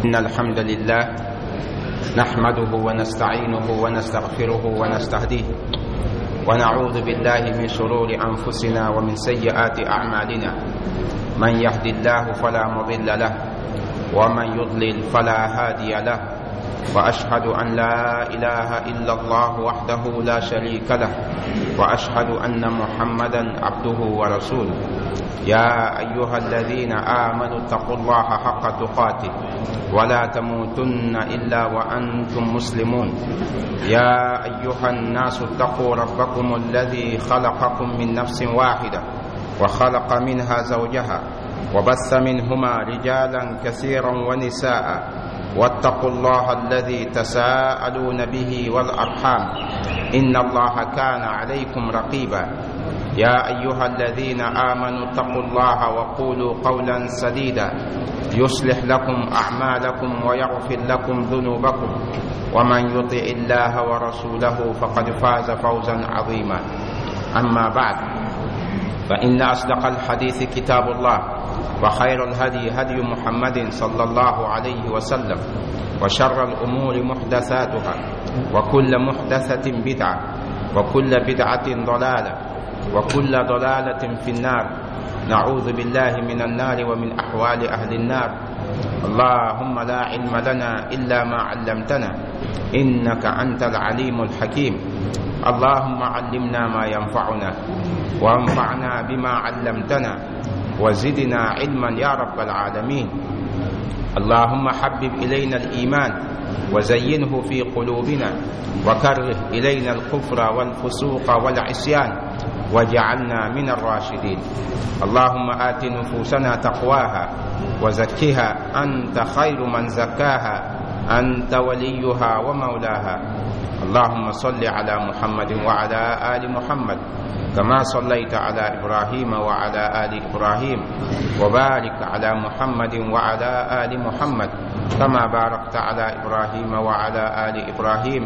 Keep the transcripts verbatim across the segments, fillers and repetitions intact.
إن الحمد لله نحمده ونستعينه ونستغفره ونستهديه ونعوذ بالله من شرور أنفسنا ومن سيئات أعمالنا من يهد الله فلا مضل له ومن يضلل فلا هادي له وأشهد أن لا إله إلا الله وحده لا شريك له وأشهد أن محمدا عبده ورسوله يا أيها الذين آمنوا اتقوا الله حق تقاته ولا تموتن إلا وأنتم مسلمون يا أيها الناس اتقوا ربكم الذي خلقكم من نفس واحدة وخلق منها زوجها وبث منهما رجالا كثيرا ونساء واتقوا الله الذي تساءلون به والأرحام إن الله كان عليكم رقيبا يا أيها الذين آمنوا اتقوا الله وقولوا قولا سديدا يصلح لكم أعمالكم ويغفر لكم ذنوبكم ومن يطع الله ورسوله فقد فاز فوزا عظيما أما بعد فإن أصدق الحديث كتاب الله وخير الهدي هدي محمد صلى الله عليه وسلم وشر الأمور محدثاتها وكل محدثة بدعة وكل بدعة ضلالة وكل ضلالة في النار نعوذ بالله من النار ومن أحوال أهل النار اللهم لا علم لنا إلا ما علمتنا إنك أنت العليم الحكيم اللهم علمنا ما ينفعنا وانفعنا بما علمتنا وزدنا علما يا رب العالمين اللهم حبب إلينا الإيمان وزينه في قلوبنا وكره إلينا الكفر والفسوق والعصيان واجعلنا من الراشدين اللهم آت نفوسنا تقواها وزكها أنت خير من زكاها أنت وليها ومولاها اللهم صل على محمد وعلى آل محمد كما صليت على إبراهيم وعلى آل إبراهيم وبارك على محمد وعلى آل محمد كما باركت على إبراهيم وعلى آل إبراهيم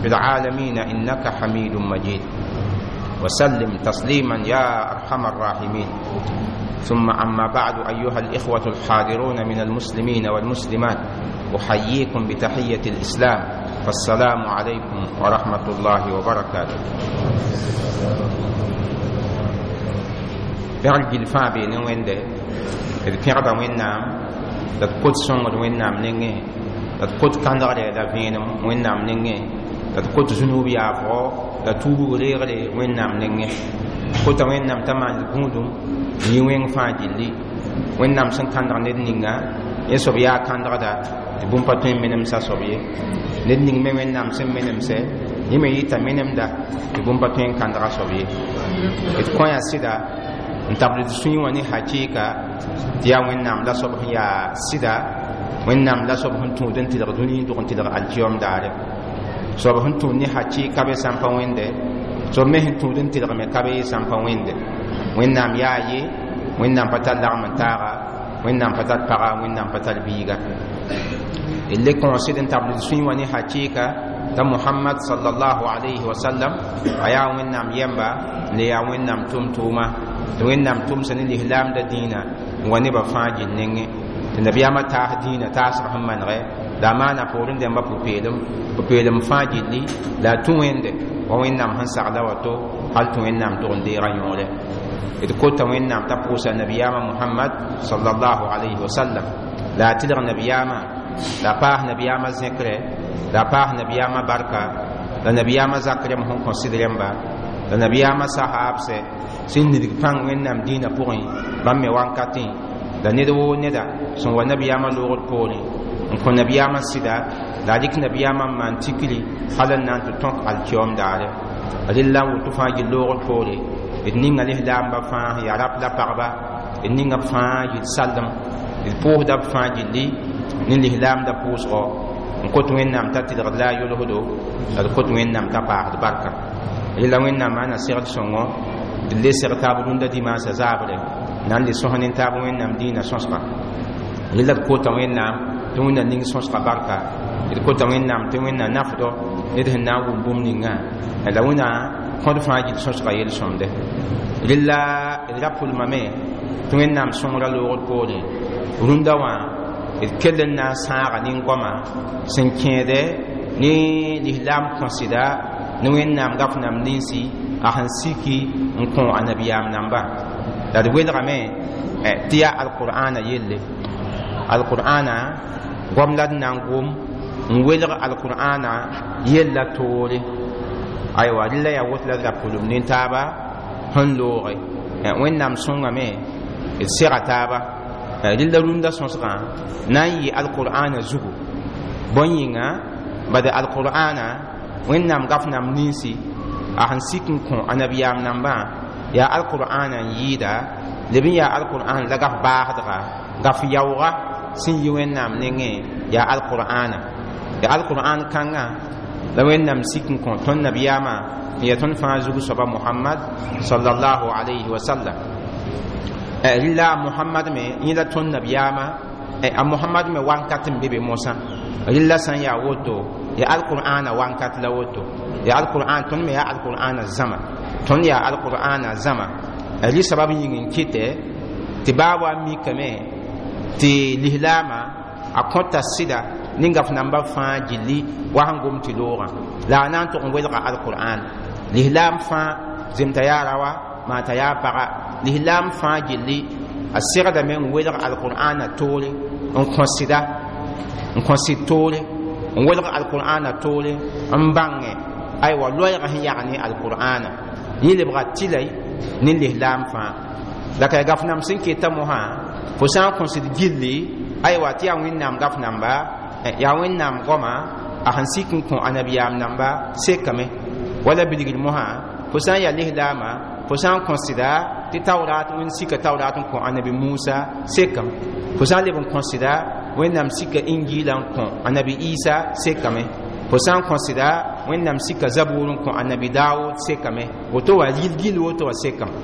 في العالمين إنك حميد مجيد وسلم تسليما يا أرحم الراحمين ثم أما بعد أيها الإخوة الحاضرون من المسلمين والمسلمات أحييكم بتحية الإسلام فالسلام عليكم ورحمة الله وبركاته pẽgl gill fãa bee ne wẽnde d pẽgda wẽnnaam la d kot sõngd wẽnnaam nengẽ la d kot kãndgre la vẽenem wẽnnaam nengẽ la d kot zũnub yaafgo la tuubg reegre wẽnnaam nengẽ kota wẽnnaam t'a maan gũudum n yɩ wẽng fãa gilli wẽnnaam sẽn kãndg ned ninga yẽ soab yaa kãndgda tɩ bũmb pa tõe n menemsa soab ye ned ning me wẽnnaam sẽn menemsɛ yẽ me yɩta menemda tɩ bũmb pa tõe n kãndga soab ye d kõ yaa sɩda n tabl d sũyẽ wã ne hakɩɩka tɩ yaa wẽnnaam la soab sẽn yaa sɩda wẽnnaam la soab sẽn tũud n tɩlg dũni n dog n tɩlg alkiyom daare soab sẽn tũud ne hakɩɩka be sã n pa wẽnde soab me sẽn tũud n tɩlgme ka be sã n pa wẽnde wẽnnaam yaa ye wẽnnaam pa tar lagm n taaga wẽnnaam pa tar paga wẽnnaam pa tar biiga d le kõosd n tabl d sũyẽ wã ne hakɩɩka t'a mohamad salallahu alayhi wa sallam a yaa wẽnnaam yɛmba n le yaa wẽnnaam tʋm-tʋʋma tɩ wẽnnaam tʋmsa ne lislaamda dĩinã n wa nebã fãa gill nengẽ tɩ nabiyaamã taas dĩinã taasg sẽn manegɛ la a maana poorẽ dẽmba pʋ-peelem pʋ-peelem fãa gilli la a tũ wẽnde wa wẽnnaam sẽn sagla wato hal tɩ wẽnnaam tʋg n deega yõore d kota wẽnnaam t'a pʋʋsa nabiyaamã mohamad salallahu alayhi wa sallam la a tɩlg nabiyaamã la a paas nabiyaamã zẽkre la a paas nabiyaamã barka la nabiyaamã zak rẽmb sẽn kõ sɩd rẽmba la nabiyaamã sahaabsɛ sẽn nidg pãng wẽnnaam dĩinã pʋgẽ bãmb me wankatẽ la ned woo neda sẽn wa nabiyaamã loogd poorẽ n kõ nabiyaamã sɩda la a dɩk nabiyaamã n maan tikri hal n na n tɩ tõk alkiyoom daare rella n woto fãa gill loogd poore d ninga lislaamba fãa sẽn yaa rap la pagba d ninga b fãa yɩl sallem d pʋʋsda b fãa gilli ne lislaamda pʋʋsgɔ n kot wẽnnaam t'a tɩlgd la a yolsdo la d kot wẽnnaam t'a paasd barka rella wẽnnaam maana segd sõngo d le seg taab rũndã dimaasã zaabre na n le sõs ne taab wẽnnaam dĩinã sõsga rella d kota wẽnnaam tɩ wẽnna ning sõsga barka d kota wẽnnaam tɩ wẽnna nafdɔ ned sẽn na n wʋm bũmb ninga la wẽna kõd fãa gill sõsga yel-sõmde rella d ra pʋlmame tɩ wẽnnaam sõngra loogd poorẽ rũndã wã D kell n na n sãaga nin-goamã sẽn kẽede ne lislaam kõsɩda ne Wẽnnaam gaf nam ninsi a sẽn siki n kõ a nabiyaam namba. La d welgame tɩ yaa alqur'ana yelle, alqur'ana goam la d na n gom n welg alqur'ana yella toore. Aywa, rɩla yaa woto la d ra pʋlem nin-taaba sẽn looge. Wẽnnaam sõngame, d sega taaba rɩla rũndã sõsgã na n yɩ alqur'ana zugu. Bõn yĩnga, bad alqur'ana Wẽnnaam gaf nam ninsi a sẽn sik n kõ a nabiyaam nambã yaa alqur'ana n yɩɩda leb n yaa alqur'an la gaf baasdga gaf yaooga sẽn yi Wẽnnaam nengẽ yaa alqur'ana. Ya alqur'an kãngã la Wẽnnaam sik n kõ tõnd nabiyaamã n yaa tõnd fãa zug soaba Mohamad sallallahu alayhi wa sallam. Rɩla a Mohamad me yẽ la tõnd nabiyaamã, a Mohamad me wankat n be be mosã. Rɩla sã n yaa woto, ya alqur'ana wankat la woto ya alqur'an, tõnd me yaa alqur'ana zãma, tõnd yaa alqur'ana zãma. Rɩ sabab yĩng n kɩtɛ tɩ baa wa mikame tɩ lislaamã a kõta sɩda ne gaf namba fãa gilli wa sẽn gom tɩ loogã la a na n tʋg n welga alqur'an. Lislaam fãa zemta yaa rawa maa t'a yaa paga, lislaam fãa gilli a segdame n welg alqur'ana toore n kõ sɩda n kõ sɩd toore n welg alqur'ana toore n bãnge aywa loɛɛgã sẽn yag ne alqur'ana yẽ lebga tɩlay ne lislaam fãa. La ka gaf nam sẽn keta mosã fo sã n kõsd gilli aywa tɩ yaa Wẽnnaam gaf namba, yaa Wẽnnaam goama a sẽn sik n kõ a nabiyaam namba sekame. Wala bilgr mosã fo sã n yaa lislaamã fo sã n kõsda tɩ taurat Wẽnd sika taurat n kõ anabi Musa sekame, fo sã n leb n kõsda Wẽnnaam sika Injila n kõ anabi Isa sekame, fo sã n kõsda Wẽnnaam sika Zabur n kõ anabi Daoud sekame, woto wa yil gill woto wa sekame.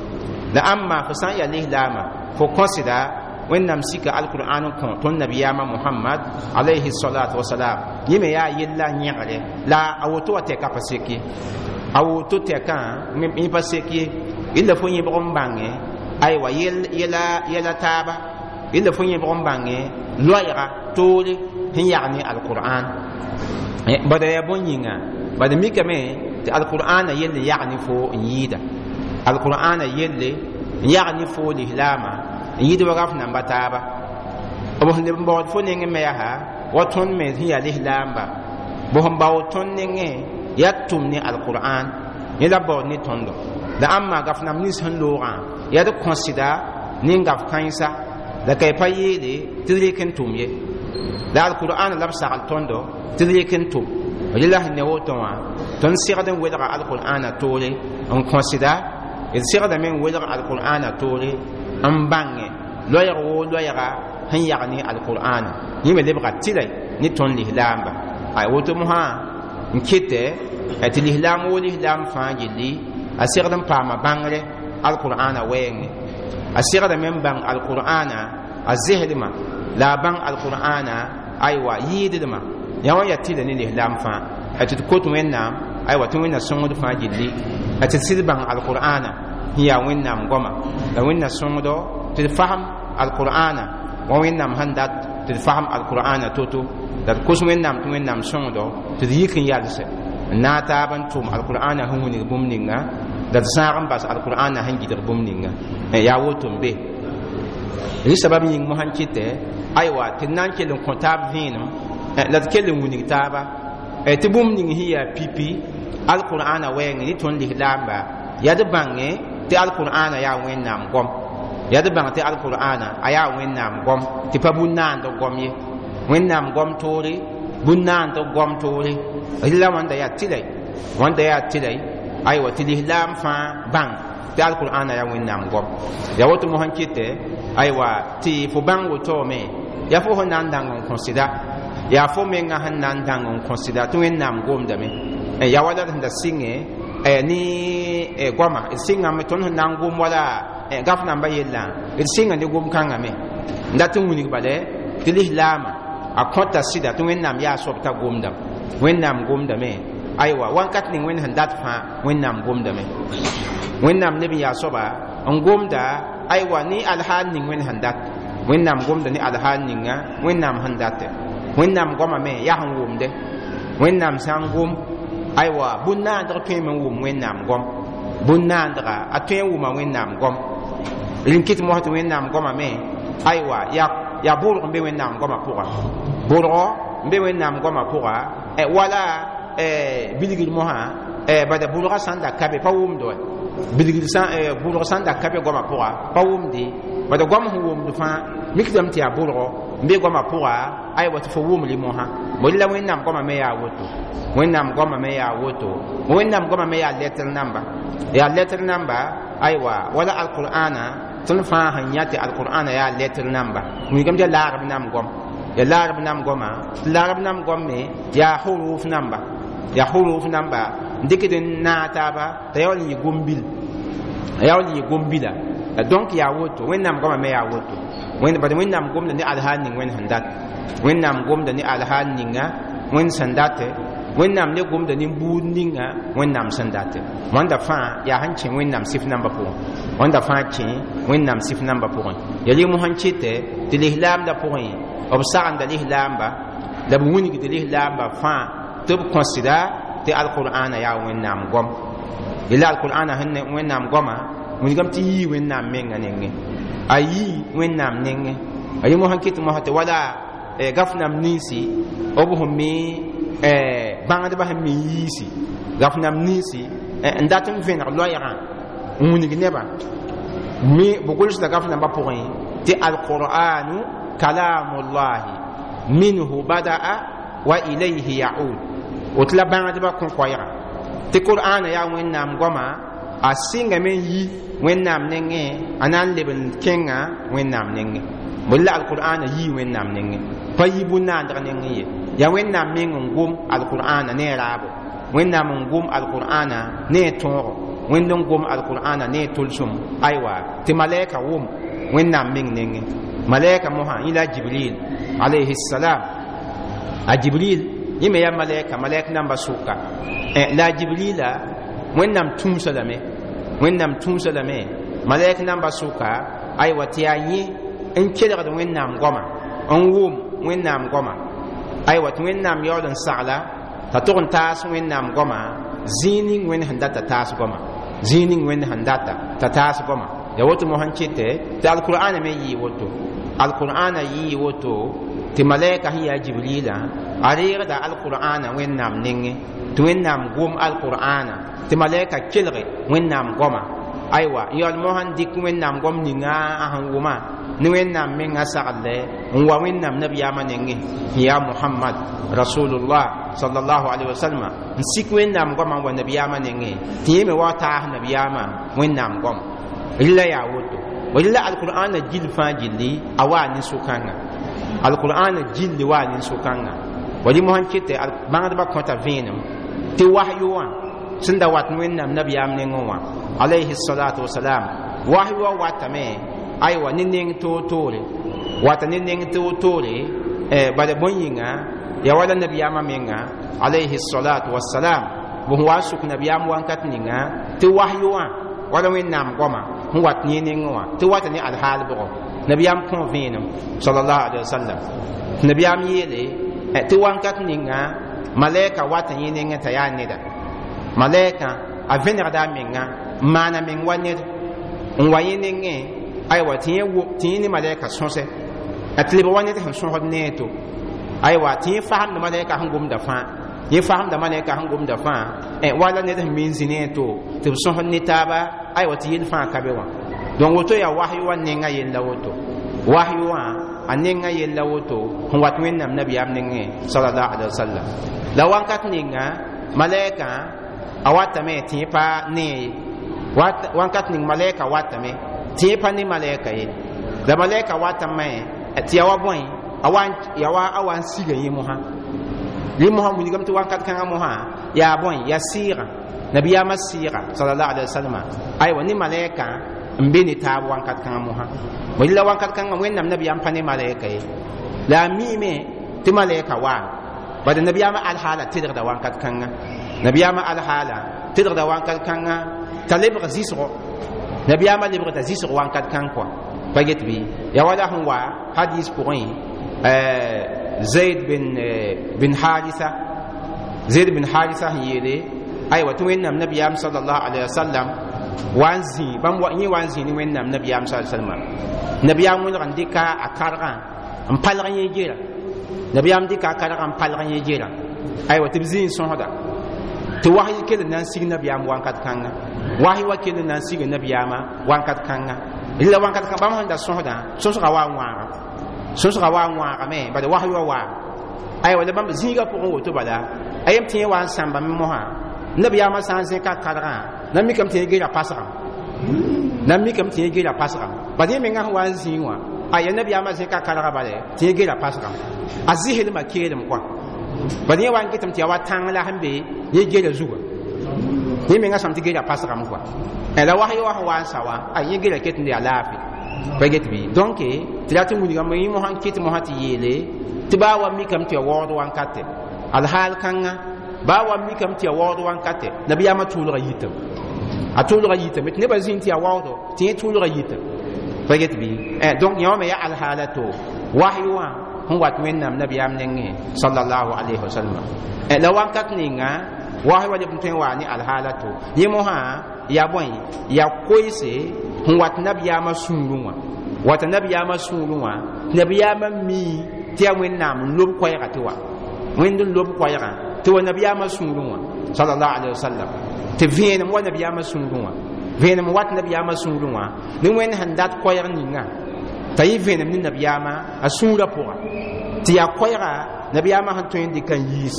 La ãmma fo sã n yaa lislaamã fo kõsda Wẽnnaam sika alqur'an n kõ tõnd nabiyaamã Mohamad alayhi salatu wasalam, yẽ me yaa yella yẽgre la a woto wa tɛka pa sek ye, a woto tɛkã yẽ pa sek ye. Illa fo yẽbg n bãnge aywa yɛla taaba, illa fo yẽbg n bãnge loɛɛga toore sẽn yag ne alqur'an. Bada yaa bõn yĩnga, bad mikame tɩ alqur'ana yell n yag ne fo n yɩɩda, alqur'ana yelle n yag ne fo lislaamã n yɩɩd wa gaf namba taaba. B sẽn leb n baood fo nengẽ me yaa wa tõnd me sẽn yaa lislaamba b sẽn baood tõnd nengẽ yaa tʋm ne alqur'an yẽ la baood ne tõndo. La ãmma gaf nam nins sẽn loogã yaa d kõsda ne gaf kãensa la ka y pa yeele tɩ d rek n tʋm ye, la alqur'an la b sagl tõndo tɩ d rek n tʋm. Rɩla sẽn ne woto wã tõnd segd n welga alqur'ana toore n kõsda, d segdame n welg alqur'ana toore n bãnge loɛɛg woo loɛɛga sẽn yag ne alqur'ana yẽ me lebga tɩlay ne tõnd lislaamba. Ay woto mosã n kɩtɛ tɩ lislaam woo lislaam fãa gilli a segd n paama bãngre alqur'ana wɛɛngẽ, a segdame n bãng alqur'ana a zesdmã la a bãng alqur'ana aywa yɩɩdlmã yã wã yaa tɩla ne lislaam fãa. Tɩ d kot Wẽnnaam aywa tɩ Wẽnna sõngd fãa gilli tɩ d sɩd bãng alqur'ana sẽn yaa Wẽnnaam goama, la Wẽnna sõngdo tɩ d fasem alqur'ana wa Wẽnnaam sẽn dat tɩ d fasem alqur'ana to-to, la d kos Wẽnnaam tɩ Wẽnnaam sõngdo tɩ d yik n yalse n naag taab n tʋm alqur'ana sẽn wilg bũmb ninga, la d sãag n bas alqur'ana sẽn gɩdg bũmb ninga. Yaa woto n be rɩ sabab yĩng mosã n kɩtɛ aywa tɩ d na n kell n kõ taab vẽenem la d kell n wilg taaba tɩ bũmb ning sẽn yaa pipi alqur'ana wɛɛngẽ ne tõnd lislaamba yaa d bãnge tɩ alqur'ana yaa Wẽnnaam goam, yaa d bãng tɩ alqur'ana a yaa Wẽnnaam goam tɩ pa bũn-naand goam ye, Wẽnnaam goam toore bũn-naand goam toore. Rɩla wãnda yaa tɩlay, wãnda yaa tɩlay aywa tɩ lislaam fãa bãng tɩ alqur'ana yaa Wẽnnaam goam. Yaa woto mosã n kɩtɛ aywa tɩ fo bãng wotome yaa fo sẽn na n dãng n kõ sɩda, yaa fo menga sẽn na n dãng n kõ sɩda tɩ Wẽnnaam gomdame. Yaa wala d sẽn da sɩngẽ ne goama d sɩngame tõnd sẽn na n gom wala gaf namba yellã d sɩnga ne gom kãngã me n dat n wilg bala tɩ lislaamã a kõta sɩda tɩ Wẽnnaam yaa soab t'a gomdame, Wẽnnaam gomdame aywa wãnkat ning Wẽnd sẽn dat fãa Wẽnnaam gomdame, Wẽnnaam leb n yaa soaba n gomda aywa ne alhaal ning Wẽnd sẽn dat. Wẽnnaam gomda ne alhaal ninga Wẽnnaam sẽn date. Wẽnnaam goamame yaa sẽn wʋmde. Wẽnnaam sã n gom, aywa, bũn-naandg tõeme n wʋm Wẽnnaam gom. Bũn-naandga a tõe n wʋma Wẽnnaam gom. Rẽn kɩt mosã tɩ Wẽnnaam goamame, aywa, yaa yaa bʋrg n be Wẽnnaam goamã pʋga, bʋrgɔ n be Wẽnnaam goamã pʋga, wala bilgr mosã. Bada bʋrgã sã n da ka be, pa wʋmd wa. Bilgr sã, bʋrg sã n da ka be goamã pʋga, pa wʋmde. Bada goam sẽn wʋmd fãa mikdame tɩ yaa bʋrgɔ n be goamã pʋga, aywa, tɩ fo wʋmli mosã. Bõe la Wẽnnaam goamã me yaa woto. Wẽnnaam goamã me yaa woto. Wẽnnaam goamã me yaa letr namba, yaa letr namba, aywa, wala alqur'ana. Tõnd fãa sẽn yã tɩ alqur'ana yaa letr namba, wilgame tɩ yaa laarb nam goam, yaa laarb nam goama. Tɩ laarb nam goam me yaa huruf namba, yaa huruf namba n dɩkd n naag taaba t'a yaool n yɩ gom-bil, a yaool n yɩ gom-bila. Donc yaa woto, Wẽnnaam goamã me yaa woto. Bad Wẽnnaam gomda ne alhaal ning Wẽnd sẽn dat. Wẽnnaam gomda ne alhaal ninga Wẽnd sẽn date. Wẽnnaam le gomda ne buud ninga Wẽnnaam sẽn date. Wãnda fãa yaa sẽn kẽ Wẽnnaam sɩf nambã pʋgẽ. Wãnda fãa kẽ Wẽnnaam sɩf nambã pʋgẽ. Ya rɩ mosã n kɩtɛ tɩ lislaamdã pʋgẽ, b sagenda lislaamba la b wilgd lislaamba fãa tɩ b kõsda tɩ alqur'ana yaa Wẽnnaam goam. Yella alqur'ana sẽn Wẽnnaam goamã wilgame tɩ yii Wẽnnaam menga nengẽ, a yii Wẽnnaam nengẽ. A yẽ mosã kɩt mosã tɩ wala gaf nam ninsi b sẽn me bãngdbã sẽn me yiisi gaf nam ninsi n dat n vẽneg loɛɛgã n wilg nebã me b gʋlsda gaf nambã pʋgẽ tɩ alqur'anu kalamullahi minhu bada'a wa ilayhi yaud. Woto la bãngdbã kõ koɛɛga tɩ qur'ana yaa Wẽnnaam goama, a sɩngame n yi Wẽnnaam nengẽ, a na n leb n kẽnga Wẽnnaam nengẽ. Bõe la alqur'ana yii Wẽnnaam nengẽ, pa yi bũn-naandg nengẽ ye. Yaa Wẽnnaam meng n gom alqur'ana ne a raabo, Wẽnnaam n gom alqur'ana ne a tõogo, Wẽnd n gom alqur'ana ne a tʋlsem, aywa, tɩ malɛka wʋm Wẽnnaam meng nengẽ. Malɛka mosã yẽ la Jibril alayhi salam. A Jibril yẽ me yaa malɛka, malɛk namba sʋka. La a Jibrila Wẽnnaam tũusa lame, Wẽnnaam tũusa lame malɛk namba sʋka, aywa, tɩ yaa yẽ n kelgd Wẽnnaam goama, n wʋm Wẽnnaam goama, aywa, tɩ Wẽnnaam yaool n sagla t'a tʋg n taas Wẽnnaam goama zĩig ning Wẽnd sẽn data taas goama, zĩig ning Wẽnd sẽn data t'a taas goama. Ya woto mosã n kɩtɛ tɩ alqur'ana me yɩɩ woto. Alqur'ana yɩɩ woto tɩ malɛka sẽn yaa Jibrila a reegda alqur'ana Wẽnnaam nengẽ, tɩ Wẽnnaam gom alqur'ana tɩ malɛka kelge Wẽnnaam goama, aywa, n yaool mosã n dɩk Wẽnnaam goam ninga a sẽn wʋma ne Wẽnnaam menga sagle n wa Wẽnnaam nabiyaamã nengẽ sẽn yaa Mohamad rasulullah sallallahu alaihi wasallam, n sik Wẽnnaam goamã n wa nabiyaamã nengẽ tɩ yẽ me wa taas nabiyaamã Wẽnnaam goam. Rɩla yaa woto. Rɩla alqur'ana gill fãa gilli a waa nin-sʋkãngã, alqur'ana gilli waa nin-sʋkãngã. Wa rɩ mosã n kɩtɛ bãngdbã kõta vẽenem tɩ wahyu wã sẽn da wat Wẽnnaam nabiyaam nengẽ wã alayhi salatu wasalam, wahyu wã watame, aywa, ne neng toor-toore, wata ne neng toor-toore. Bala bõe yĩnga, yaa wala nabiyaamã menga alayhi salatu wasalam b sẽn wa n sʋk nabiyaam wãnkat ninga tɩ wahyu wã wala Wẽnnaam goamã sẽn wat yẽ nengẽ wã tɩ wata ne alhaal bʋgɔ nabiyaam kõ vẽenem sallallahu alaihi wasallam. Tɩ nabiyaam yeele tɩ wãnkat ninga malɛka wata yẽ nengẽ t'a yaa neda. Malɛka a vẽnegda a menga n maana meng wa ned n wa yẽ nengẽ, aywa, tɩ yẽ ne malɛka sõsɛ a tɩ lebg wa ned sẽn sõsd ne a to, aywa, tɩ yẽ fasemda malɛka sẽn gomda fãa, yẽ fasemda malɛka sẽn gomda fãa wala ned sẽn min zĩ ne a to tɩ b sõsd ne taaba, aywa, tɩ yel fãa ka be wã. Donc woto yaa wahyu wã nenga yella woto, wahyu wã a nenga yella woto sẽn wat Wẽnnaam nabiyaam nengẽ sallallahu alaihi wasallam. La wãnkat ninga malɛka a watame tɩ yẽ pa ne ye, wãnkat ning malɛka watame tɩ yẽ pa ne malɛka ye. La malɛka watame tɩ ya wa bõe, ya wa a wa n siga yẽ mosã. Rẽ mosã wilgame tɩ wãnkat kãngã mosã yaa bõe, yaa sɩɩgã, nabiyaamã sɩɩga sallallahu alaihi wasallam, aywa, ne malɛka n be ne taab wãnkat kãngã mosã. Bõe la wãnkat kãngã Wẽnnaam nabiyaam pa ne malɛka ye, la a miime tɩ malɛka waame. Bad nabiyaamã alhaala tedgda wãnkat kãngã, nabiyaamã alhaala tedgda wãnkat kãngã t'a lebg zɩsgo, nabiyaamã lebgda zɩsg wãnkat kãng kɔa pa get bɩ. Ya wala sẽn wa hadis pʋgẽ Zaid bin bin Haritha Zaid bin Haritha sẽn yeele aywa tɩ Wẽnnaam nabiyaam sallallahu alaihi wasallam wa n zĩ bãmb yẽ wa n zĩ ne Wẽnnaam nabiyaam sallallahu alaihi wasallam nabiyaam wẽlg n dɩka a kargã n palg yẽ gera nabiyaam dɩka a kargã n palg yẽ gera aywa tɩ b zĩ n sõsda tɩ wasy kell n na n sig nabiyaam wankat kãnga wasy wa kell n na n sig nabiyaamã wankat kãnga la wankat kãng bãmb sẽn da sõsdã sõsga wa n wãaga sõsga wa n wãagame bala wasy wa waame aywa la bãmb zĩigã pʋgẽ woto bala a yem tɩ yẽ wa n sãmbame mosã nabiyaamã sã n zẽka kargã na mikame tɩ yẽ gera pasgame na mikame tɩ yẽ gera pasgame bala yẽ menga sẽn wa n zĩig wã aya nabiyaamã zẽka kargã bala tɩ yẽ gera pasgame a zɩslmã keelem kɔa bala yẽ wa n getame tɩ yaa wa tãng la sẽn be yẽ gera zuga yẽ menga sãm tɩ gera pasgame kɔa la wasy wa sẽn wa n sa wã a yẽ gera ket n yaa laafɩ pa get bɩ donc tɩ rat n wilgame yẽ mosã n kɩt mosã tɩ yeele tɩ baa wa mikame tɩ ya waood wankate alhaal kãnga baa wa mikame tɩ ya waood wankate nabiyaamã tʋʋlga yitame a tʋʋlga yitame tɩ nebã zĩnd tɩ ya waoodo tɩ yẽ tʋʋlga yitame pa get bɩ donc yẽ wã me yaa alhaala to wasy wã sẽn wat Wẽnnaam nabiyaam nengẽ sallallahu alayhi wa sallam la wankat ninga wasy wa leb n tõe n waa ne alhaala to yẽ mosã yaa bõe yaa koeese sẽn wat nabiyaamã sũurẽ wã wata nabiyaamã sũurẽ wã tɩ nabiyaamã mii tɩ yaa Wẽnnaam n lob koɛɛga tɩ wa Wẽnd n lob koɛɛgã tɩ wa nabiyaamã sũurẽ wã sallallahu alayhi wa sallam tɩ vẽenem wa nabiyaamã sũurẽ wã vẽenem wat nabiyaamã sũurẽ wã ne Wẽnd sẽn dat koɛɛg ninga t'a yɩ vẽenem ne nabiyaamã a sũurã pʋga tɩ yaa koɛɛga nabiyaamã sẽn tõe n dɩk n yiis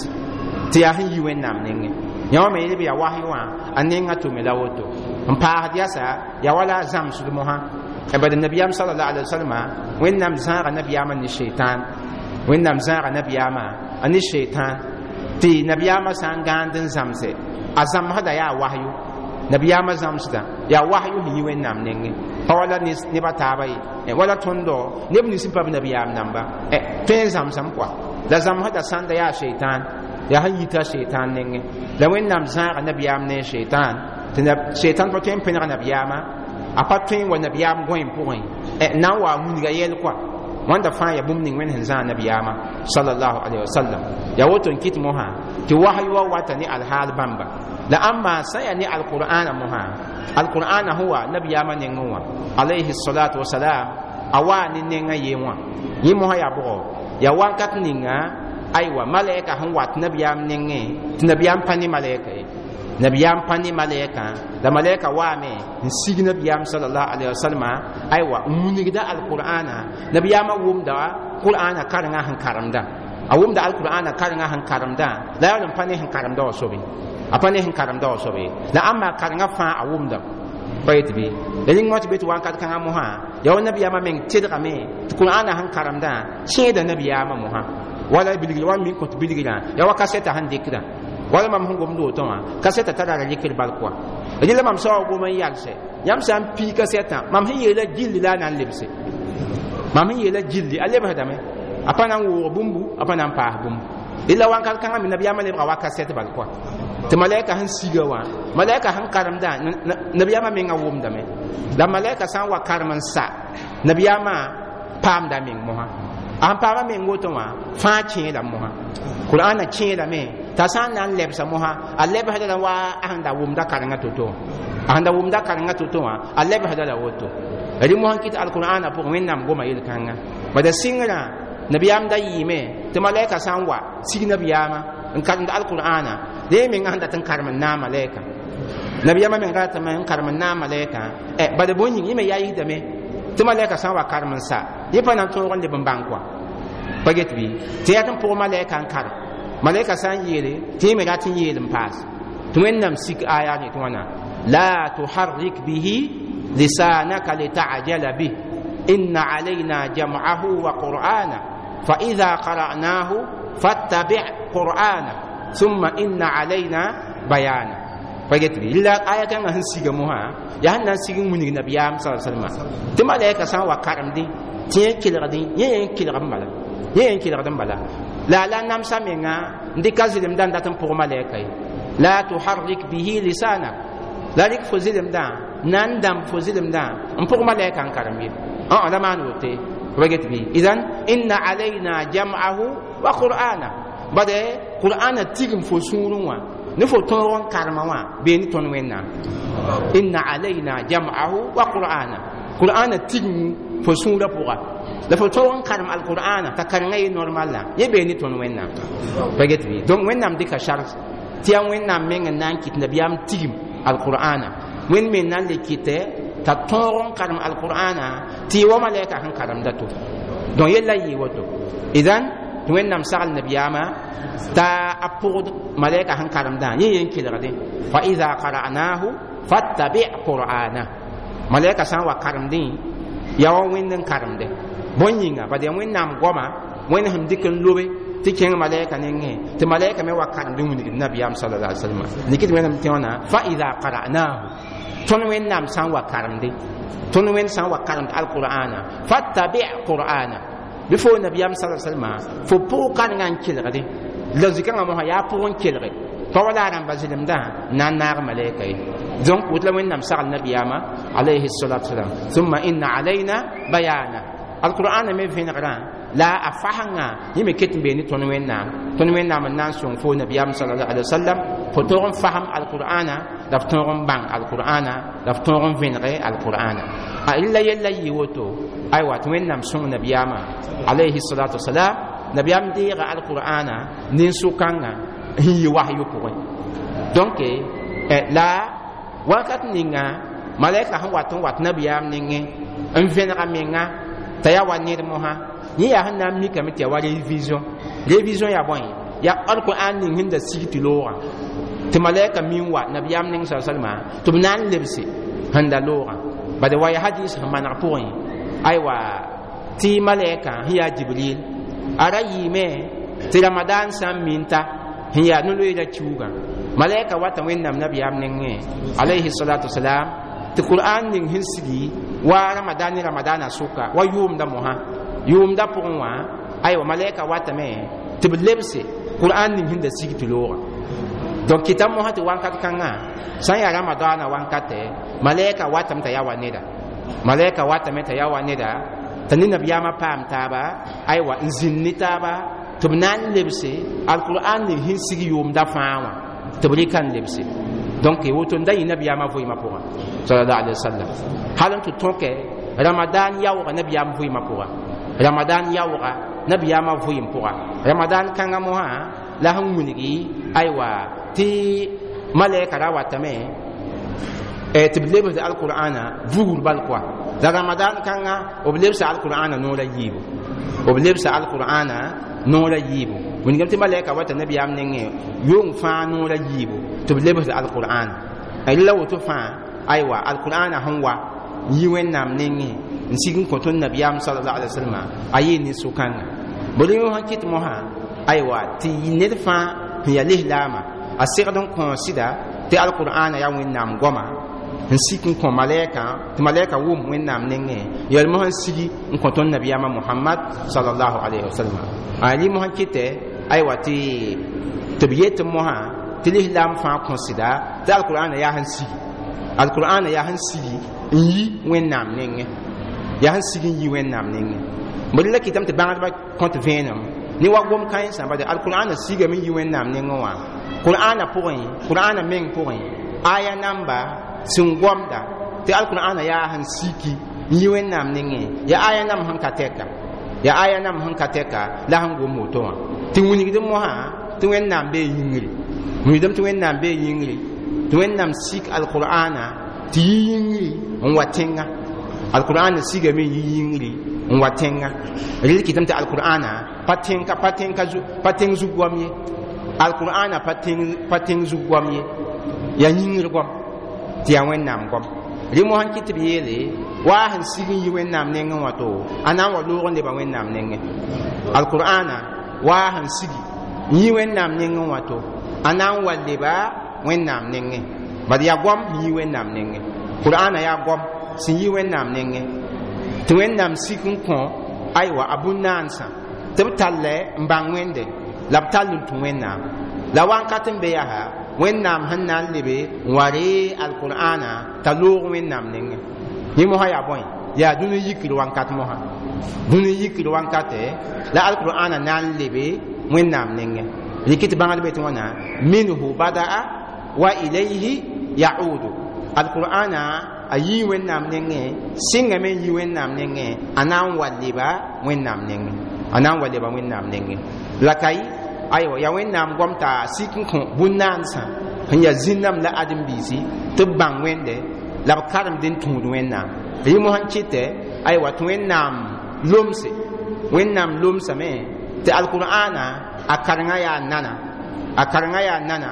tɩ yaa sẽn yi Wẽnnaam nengẽ yã wã me yel b yaa wasy wã a nengã tʋme la woto n paasd yasa yaa wala a zãmsd mosã bad nabiyaam sallallahu alaihi wasallam Wẽnnaam zãaga nabiyaamã ne sheitan Wẽnnaam zãaga nabiyaamã a ne sheitan tɩ nabiyaamã sã n gãand n zãmse a zãmsda yaa wasyu nabiyaamã zãmsda yaa wasyu sẽn yi Wẽnnaam nengẽ pa wala nebã taaba ye wala tõndo neb nins pa b nabiyaam namba tõe n zãmsame kɔa la zãmsda sãnda yaa sheitan yaa sẽn yita sheitan nengẽ la Wẽnnaam zãaga nabiyaam ne sheitan tɩ sheitan pa tõe n pẽneg nabiyaamã a pa tõe n wa nabiyaam gõe pʋgẽ na n wa wilga yɛl kɔa wãnda fãa yaa bũmb ning Wẽnd sẽn zãag nabiyaamã sallallahu alaihi wasallam yaa woto n kɩt mosã tɩ wasy wa wata ne alhaal bãmba la ãmba sã n yaa ne alqur'ana mosã alqur'ana sẽn wa nabiyaamã nengẽ wã alayhi salatu wasalam a waa ne nengã yee wã yẽ mosã yaa bʋgɔ yaa wankat ninga aywa malaika sẽn wat nabiyaam nengẽ tɩ nabiyaam pa ne malaika ye nabiyaam pa ne malaika la malaika waame n sig nabiyaam sallallahu alaihi wasallam aywa n wilgda alqur'ana nabiyaamã wʋmda qur'ana karengã sẽn karemda a wʋmda alqur'ana karengã sẽn karemda la yaa n pa ne sẽn karemda wã sobe a pa ne sẽn karemda wã sobe la ãmba karengã fãa a wʋmda pa yet bɩ la ning wã tɩ be tɩ wankat kãngã mosã yaa wa nabiyaamã meng tedgame tɩ qur'ana sẽn karemdã kẽeda nabiyaamã mosã wala bilgr wa min kõt bilgrã yaa wa kasɛta sẽn dɩkdã wala mam sẽn gomd woto wã kasɛta tara ra rɩkr bal kɔa rɩla mam soaba gom n yalsɛ yãmb sã n pii kasɛtã mam sẽn yeela gilli la a na n lebse mam sẽn yeela gilli a lebsdame a pa na n woog bũmbu a pa na n paas bũmbu rɩla wankat kãngã me nabiyaamã lebga wa kasɛt bal kɔa tɩ malaika sẽn siga wã malaika sẽn karemdã nabiyaamã menga wʋmdame la malaika sã n wa karem n sa nabiyaamã paamda meng mosã a sẽn paama meng woto wã fãa kẽeda mosã qur'ana kẽedame t'a sã n na n lebsa mosã a lebsda la wa a sẽn da wʋmda karengã to-to a sẽn da wʋmda karengã to-to wã a lebsda la woto rɩ mosã kɩt alqur'ana pʋgẽ Wẽnnaam goma yel-kãnga bada sɩngrã nabiyaam da yɩɩme tɩ malaika sã n wa sig nabiyaamã n karemd alqur'ana yẽ menga sẽn dat n karem n naag malaika nabiyaamã menga ratame n karem n naag malaika bala bõe yĩng yẽ me yaa yisdame tɩ malaika sã n wa karem n sa yẽ pa na n tõog n leb n bãng kɔa pa get bɩ tɩ yaa tɩ n pʋg malaika n karem malaika sã n yeele tɩ yẽ me rat n yeel n paas tɩ Wẽnnaam sik aya ne tɩ wãna la tuharrik bihi lisanaka lita'jala bih inna alayna jam'ahu wa qur'ana fa idha qara'nahu fattabi' qur'ana thumma inna alayna bayana pa get bɩ la aya kãngã sẽn siga mosã yaa sẽn na n sig n wilg nabiyaam sa salma tɩ malaika sã n wa karemdẽ tɩ yẽ kelgdẽ yẽ yẽ kelg n bala yẽ yẽ kelgd n bala la la namsa menga n dɩka zɩlemdã n dat n pʋg malaika ye la tuharrik bihi lisanak la rɩk fo zɩlemdã na n dãmb fo zɩlemdã n pʋg malaika n karem ye ã la maan wote pa get bɩ idan inna alayna jam'ahu wa qur'ana bade qur'ana tigim fo sũurẽ wã ne fo tõog n karema wã bee ne tõnd wẽnnaam inna alayna jam'ahu wa qur'ana qur'ana tigim fo sũurã pʋga la fo tõog n karem alqur'ana t'a karengã ye normal la yẽ bee ne tõnd wẽnnaam pa get bɩ donc wẽnnaam dɩka charge tɩ yaa wẽnnaam meng n na n kɩt nabiyaam tigim alqur'ana wẽnd me na n le kɩtɛ t'a tõog n karem alqur'ana tɩ y wa malɛka sẽn karemda to donc yella yɩ woto idan tɩ wẽnnaam sagl nabiyaamã t'a a pʋgd malɛka sẽn karemdã yẽ yen kelgdẽ fa ida qara'nahu fattabi qur'ana malɛka sã n wa karemdẽ yaa wa wẽnd n karemde bõn yĩnga bad yaa wẽnnaam goama wẽnd sẽn dɩk n lobe tɩ kẽng malɛka nengẽ tɩ malɛka me wa karemd n wilgd nabiyaam sala alai salama dɩk tɩ wẽnnaam tẽ wãna fa ida qara'nahu tõnd wẽnnaam sã n wa karemde tõnd wẽnd sã n wa karemd alqur'ana fattabi qur'ana bɩ fo nabiyaam sala salama fo pʋg karengã n kelgde la zikãngã mosã yaa pʋg n kelge pa wala a rãmba zɩlemdã na n naag malɛka ye donc woto la wẽnnaam sagl nabiyaamã alayhi salatu wasalam thumma inna alayna bayana alqur'ana me vẽnegrã la a fasengã yẽ me ket n bee ne tõnd wẽnnaam tõnd wẽnnaam n na n sõng fo nabiyaam sala alai wasallam fo tõog n fasem alqur'ana la f tõog n bãng alqur'ana la f tõog n vẽnege alqur'ana a rɩla yella yɩ woto aywa tɩ wẽnnaam sõng nabiyaamã alayhi salatu wasalam nabiyaam deega alqur'ana nin-sʋkãngã n yɩ wahyu pʋgẽ donc la wakat ninga malaika sẽn wat n wat nabiyaam nengẽ n vẽnega menga t'a yaa wa ned mosã yẽ yaa sẽn na n mikame tɩ yaa wa révision révision yaa bõe yaa alqur'an ning sẽn da sig tɩ loogã tɩ malaika min wa nabiyaam neng sa salma tɩ b na n lebse sẽn da loogã bad wa ya hadis sẽn maneg pʋgẽ aywa tɩ malaika sẽn yaa jibril a ra yɩɩme tɩ ramadan sã n minta sẽn yaa no-loeera kiuugã malaika wata wẽnnaam nabiyaam nengẽ alayhi salatu wasalam tɩ qur'an ning sẽn sigi wa ramadan ne ramadana sʋka wa yʋʋmda mosã yʋʋmda pʋgẽ wã aywa malaika watame tɩ b lebse qur'an ning sẽn da sig tɩ loogã donc kɩta mosã tɩ wankat kãngã sã n yaa ramadana wankatɛ malaika watame t'a yaa wa neda malaika watame t'a yaa wa neda t'a ne nabiyaamã paam taaba aywa n zĩnd ne taaba tɩ b na n lebse alqur'an ning sẽn sig yʋʋmda fãa wã tɩ b rɩka n lebse donc woto n da yɩ nabiyaamã vɩɩmã pʋgã sallallahu alaihi wasallam hal n tɩ tõke ramadan yaoogã nabiyaam vɩɩmã pʋga ramadan yaoogã nabiyaamã vɩɩm pʋga ramadan kãngã mosã la sẽn wilgi aywa tɩ malɛka ra watame tɩ b lebsd alqur'ana vugr bal koa la ramadan kãngã b lebsa alqur'ana noor a yiibu b lebsa alqur'ana noor a yiibu wilgame tɩ malɛka wata nabiyaam nengẽ yong fãa noor a yiibu tɩ b lebsd alqur'an la woto fãa aywa alqur'ana sẽn wa yi wẽnnaam nengẽ n sig n kõ tõnd nabiyaam sallallahu alaihi wasallam a yɩ ne sʋkãnga bõe sẽn kɩt mosã aywa tɩ ned fãa sẽn yaa lislaamã a segd n kõ sɩda tɩ alqur'ana yaa wẽnnaam goama n sik n kõ malɛka tɩ malɛka wʋm wẽnnaam nengẽ yɛl mosã n sigi n kõ tõnd nabiyaamã mohamad sallallahu alaihi wasallam a rɩ mosã kɩtɛ aywa tɩ tɩ b yet mosã tɩ lislaam fãa kõ sɩda tɩ alqur'ana yaa sẽn sigi alqur'ana yaa sẽn sigi n yi wẽnnaam nengẽ yaa sẽn sig n yi wẽnnaam nengẽ bõe la kɩtame tɩ bãgdbã kõt vẽenem ne wa gom kãensã bade alqur'ana sigame n yi wẽnnaam nengẽ wã qur'ana pʋgẽ qur'ana meng pʋgẽ aya namba sẽn gomda tɩ alqur'ana yaa sẽn siki n yi wẽnnaam nengẽ yaa aya nam sẽn ka tɛka yaa aya nam sẽn ka tɛka la sẽn gom woto wã tɩ wilgd mosã tɩ wẽnnaam bee yĩngri wilgdame tɩ wẽnnaam bee yĩngri tɩ wẽnnaam sik alqur'ana tɩ yi yĩngri n wa tẽnga alqur'ana sigame n yi yĩngri n wa tẽnga rel kɩtame tɩ alqur'ana pa tẽnka pa tẽnka pa tẽng zug goam ye alqur'ana pa tẽng pa tẽng zug goam ye yaa yĩngr goam tɩ yaa wẽnnaam goam rẽ mosã kɩ tɩ b yeele waa sẽn sig n yi wẽnnaam nengẽ wã to a na n wa loog n leba wẽnnaam nengẽ alqur'ana waa sẽn sigi n yi wẽnnaam nengẽ wã to a na n wa leba wẽnnaam nengẽ bad yaa goam sẽn yi wẽnnaam nengẽ qur'ana yaa goam sẽn yi wẽnnaam nengẽ tɩ wẽnnaam sik n kõ aywa a bũn-naansã tɩ b tall n bãng wẽnde la b tall n tũ wẽnnaam la wãnkat n be yaa wẽnnaam sẽn na n lebe n wa ree alqur'ana t'a loog wẽnnaam nengẽ yẽ mosã yaa bõe Yaa dũni yikr wãnkat mosã, dũni yikr wãnkate la alqur'ana na n lebe Wẽnnaam nengẽ. Rɩk tɩ bãngd be tɩ wãna minhu badaa wa ilayhi yaudu. Alqur'ana a yii Wẽnnaam nengẽ, sɩngame n yi Wẽnnaam nengẽ, a na n wa leba Wẽnnaam nengẽ, a na n wa leba Wẽnnaam nengẽ. La ka aywa yaa Wẽnnaam goam t'a sik n kõ bũn-naansã sẽn yaa zĩnname la ãdem-biisi tɩ b bãng Wẽnde la b karemd n tũud Wẽnnaam. Rẽ mosã n kɩtɛ aywa tɩ Wẽnnaam lomse, Wẽnnaam lomsame tɩ alqur'ana a karengã yaa nana, a karengã yaa nana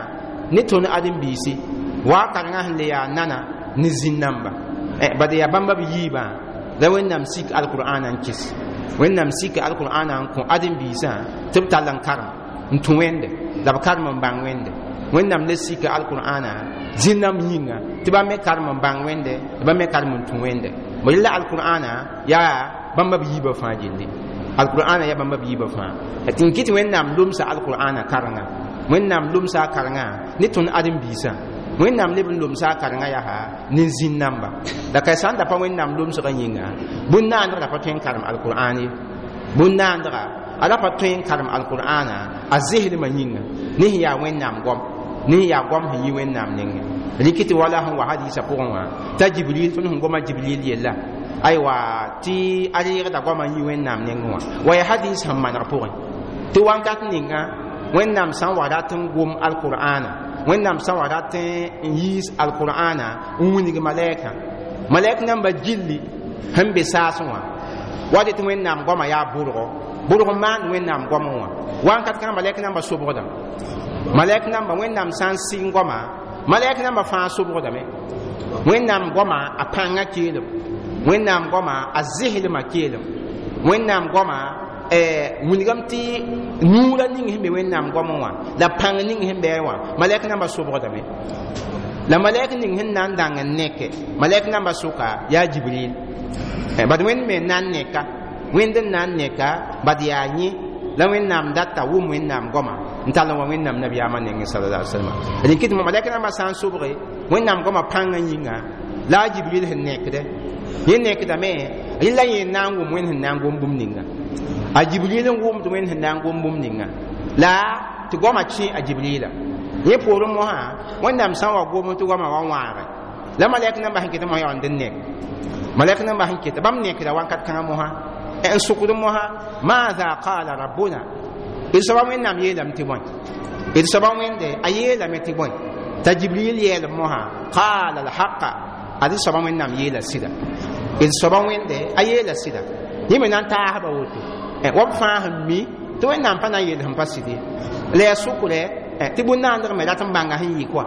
ne tõnd ãdem-biisi, wa a karengã sẽn le yaa nana ne zĩn-namba. Bad yaa bãmba b yiibã la Wẽnnaam sik alqur'ana n kɩs, Wẽnnaam sik alqur'ana n kõ ãdem-biisã tɩ b tall n karem n tũ Wẽnde la b karem n bãng Wẽnde. Wẽnnaam le sika alqur'ana zĩn-nãmb yĩnga tɩ bãmb me karem n bãng Wẽnde la bãmb me karem n tũ Wẽnde. Bõe la alqur'ana yaa bãmba b yiibã fãa gilli, alqur'ana yaa bãmba b yiibã fãa. Tɩ n kɩt Wẽnnaam lomsa alqur'ana karengã, Wẽnnaam lomsa a karengã ne tõnd ãdem-biisã, Wẽnnaam leb n lomsa a karengã yaa ne zĩn-namba. La ka sã n da pa Wẽnnaam lomsgã yĩnga, bũn-naandg ra pa tõe n karem alqur'an ye, bũn-naandga a ra pa tõe n karem alqur'ana a zeslmã yĩnga ne sẽn yaa Wẽnnaam goam, ne sẽn yaa goam sẽn yi Wẽnnaam nengẽ. Rɩk tɩ wala sẽn wa hadisa pʋgẽ wã t'a Jibril, tõnd sẽn goma Jibril yella aywa tɩ a reegda goamã n yi Wẽnnaam nengẽ wã, wa yaa hadis sẽn maneg pʋgẽ tɩ wãnkat ninga Wẽnnaam sã n wa rat n gom alqur'ana, Wẽnnaam sã n wa rat n yiis alqur'ana n wilg malɛɛkã, malɛk namba gilli sẽn be saasẽ wã wa dɩ tɩ Wẽnnaam goamã yaa bʋrgo, bʋrg n maand Wẽnnaam goamẽ wã. Wãnkat kãngã malɛk namba sobgdã, malɛk namba Wẽnnaam sã n sɩng goamã, malɛk namba fãa sobgdame. Wẽnnaam goamã a pãngã keelem, Wẽnnaam goamã a zeslmã keelem, Wẽnnaam goamã wilgame tɩ nuurã ning sẽn be Wẽnnaam goamẽ wã la pãng ning sẽn bɩ wã, malɛk namba sobgdame. La malɛk ning sẽn na n dãng n neke malɛk namba sʋka yaa Jibril, bad Wẽnd me n na n neka, Wẽnd n na n neka, bad yaa yẽ la Wẽnnaam data wʋm Wẽnnaam goamã n tall n wa Wẽnnaam nabiyaamã nengẽ sallallahu alaihi wasallam. Rɩk tɩ malɛk nambã sã n sobge Wẽnnaam goamã pãngã yĩnga la a Jibril sẽn nekdɛ, yẽ nekdame rẽ la yẽ n na n wʋm Wẽnd sẽn na n gom bũmb ninga. A Jibril n wʋmd Wẽnd sẽn na n gom bũmb ninga la tɩ goamã kẽ a Jibrila. Yẽ poorẽ mosã Wẽnnaam sã n wa gom tɩ goamã wa wãage la malɛk nambã sẽn ket mosã yaa n nek, malɛk nambã sẽn ket bãmb nekda wãnkat kãngã mosã n sʋkd mosã maatha qala rabbuna, d soaba Wẽnnaam yeelame tɩ bõe, d soaba Wẽnde a yeelame tɩ bõe. T'a Jibril yeelem mosã qala alhaqa, ad soaba Wẽnnaam yeela sɩda, d soaba Wẽnde a yeela sɩda. Yẽ me na n taasba woto wa b fãa sẽn mi tɩ Wẽnnaam pa na n yeel sẽn pa sɩd ye. La yaa sʋkrɛ tɩ bũn-naandg me rat n bãnga sẽn yɩ kɔa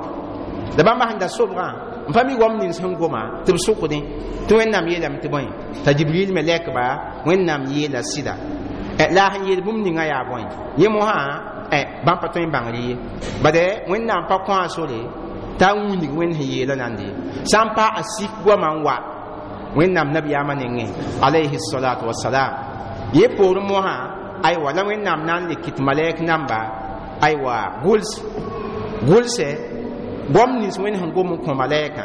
la bãmba sẽn da sobgã n pa mi goam nins sẽn goma tɩ b sʋkdẽ tɩ Wẽnnaam yeelame tɩ bõe. T'a Jibril me lɛkba Wẽnnaam yeela sɩda. La a sẽn yeel bũmb ninga yaa bõe yẽ mosã bãmb pa tõe n bãngr ye, bad Wẽnnaam pa kõ a sore t'a wilg Wẽnd sẽn yeelã nande ye, sã n pa a sik goamã n wa Wẽnnaam nabiyaamã nengẽ alayhi salatu wasalam. Yẽ poorẽ mosã aywa la Wẽnnaam na n le kɩt malɛk namba aywa gʋls gʋlsɛ goam nins Wẽnd sẽn gom n kõ malɛɛkã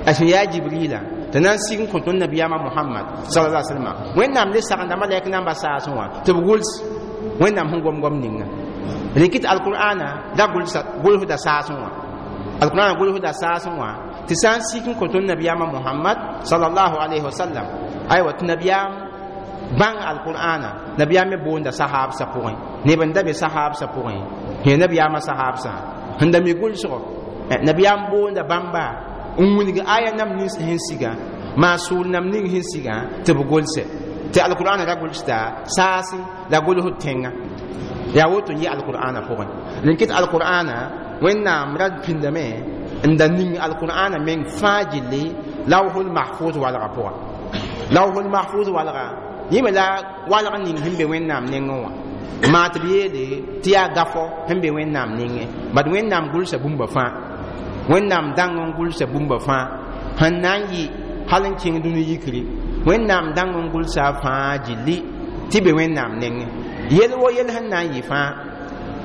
a sẽn yaa Jibrila tɩ na n sig n kõ tõnd nabiyaamã Mohamad sallallahu alaihi wasallam. Wẽnnaam le sagenda malɛk namba saasẽ wã tɩ b gʋls Wẽnnaam sẽn gom goam ninga. Rɩk tɩ alqur'ana la gʋlsda saasẽ wã, alqur'ana gʋlsda saasẽ wã tɩ sã n sik n kõ tõnd nabiyaamã Mohamad sallallahu alaihi wasallam aywa tɩ nabiyaam bãng alqur'ana, nabiyaam me boonda sahaabsã pʋgẽ, neb n da be sahaabsã pʋgẽ sẽn nabiyaamã sahaabsã sẽn da mi gʋlsgɔ, nabiyaam boonda bãmba n wilg aya nam nins sẽn siga maa sʋʋl nam ning sẽn siga tɩ b gʋlsɛ tɩ alqur'ana ra gʋlsda saasẽ la gʋlsd tẽngã. Yaa woto n yɩ alqur'ana pʋgẽ. Rẽn kɩt alqur'ana Wẽnnaam ra pĩndame n da ning alqur'ana meng fãa gilli lawhul mahfuz walga pʋga. Lawhul mahfuz walga yẽ me la walg ning sẽn be Wẽnnaam nengẽ wã maa tɩ b yeele tɩ yaa gafɔ sẽn be Wẽnnaam nengẽ, bad Wẽnnaam gʋlsa bũmba fãa, Wẽnnaam dãng n gʋlsa bũmba fãa sẽn na n yɩ hal n kẽng dũni yikri, Wẽnnaam dãng n gʋlsa a fãa gilli tɩ be Wẽnnaam nengẽ. Yel wo yel sẽn na n yɩ fãa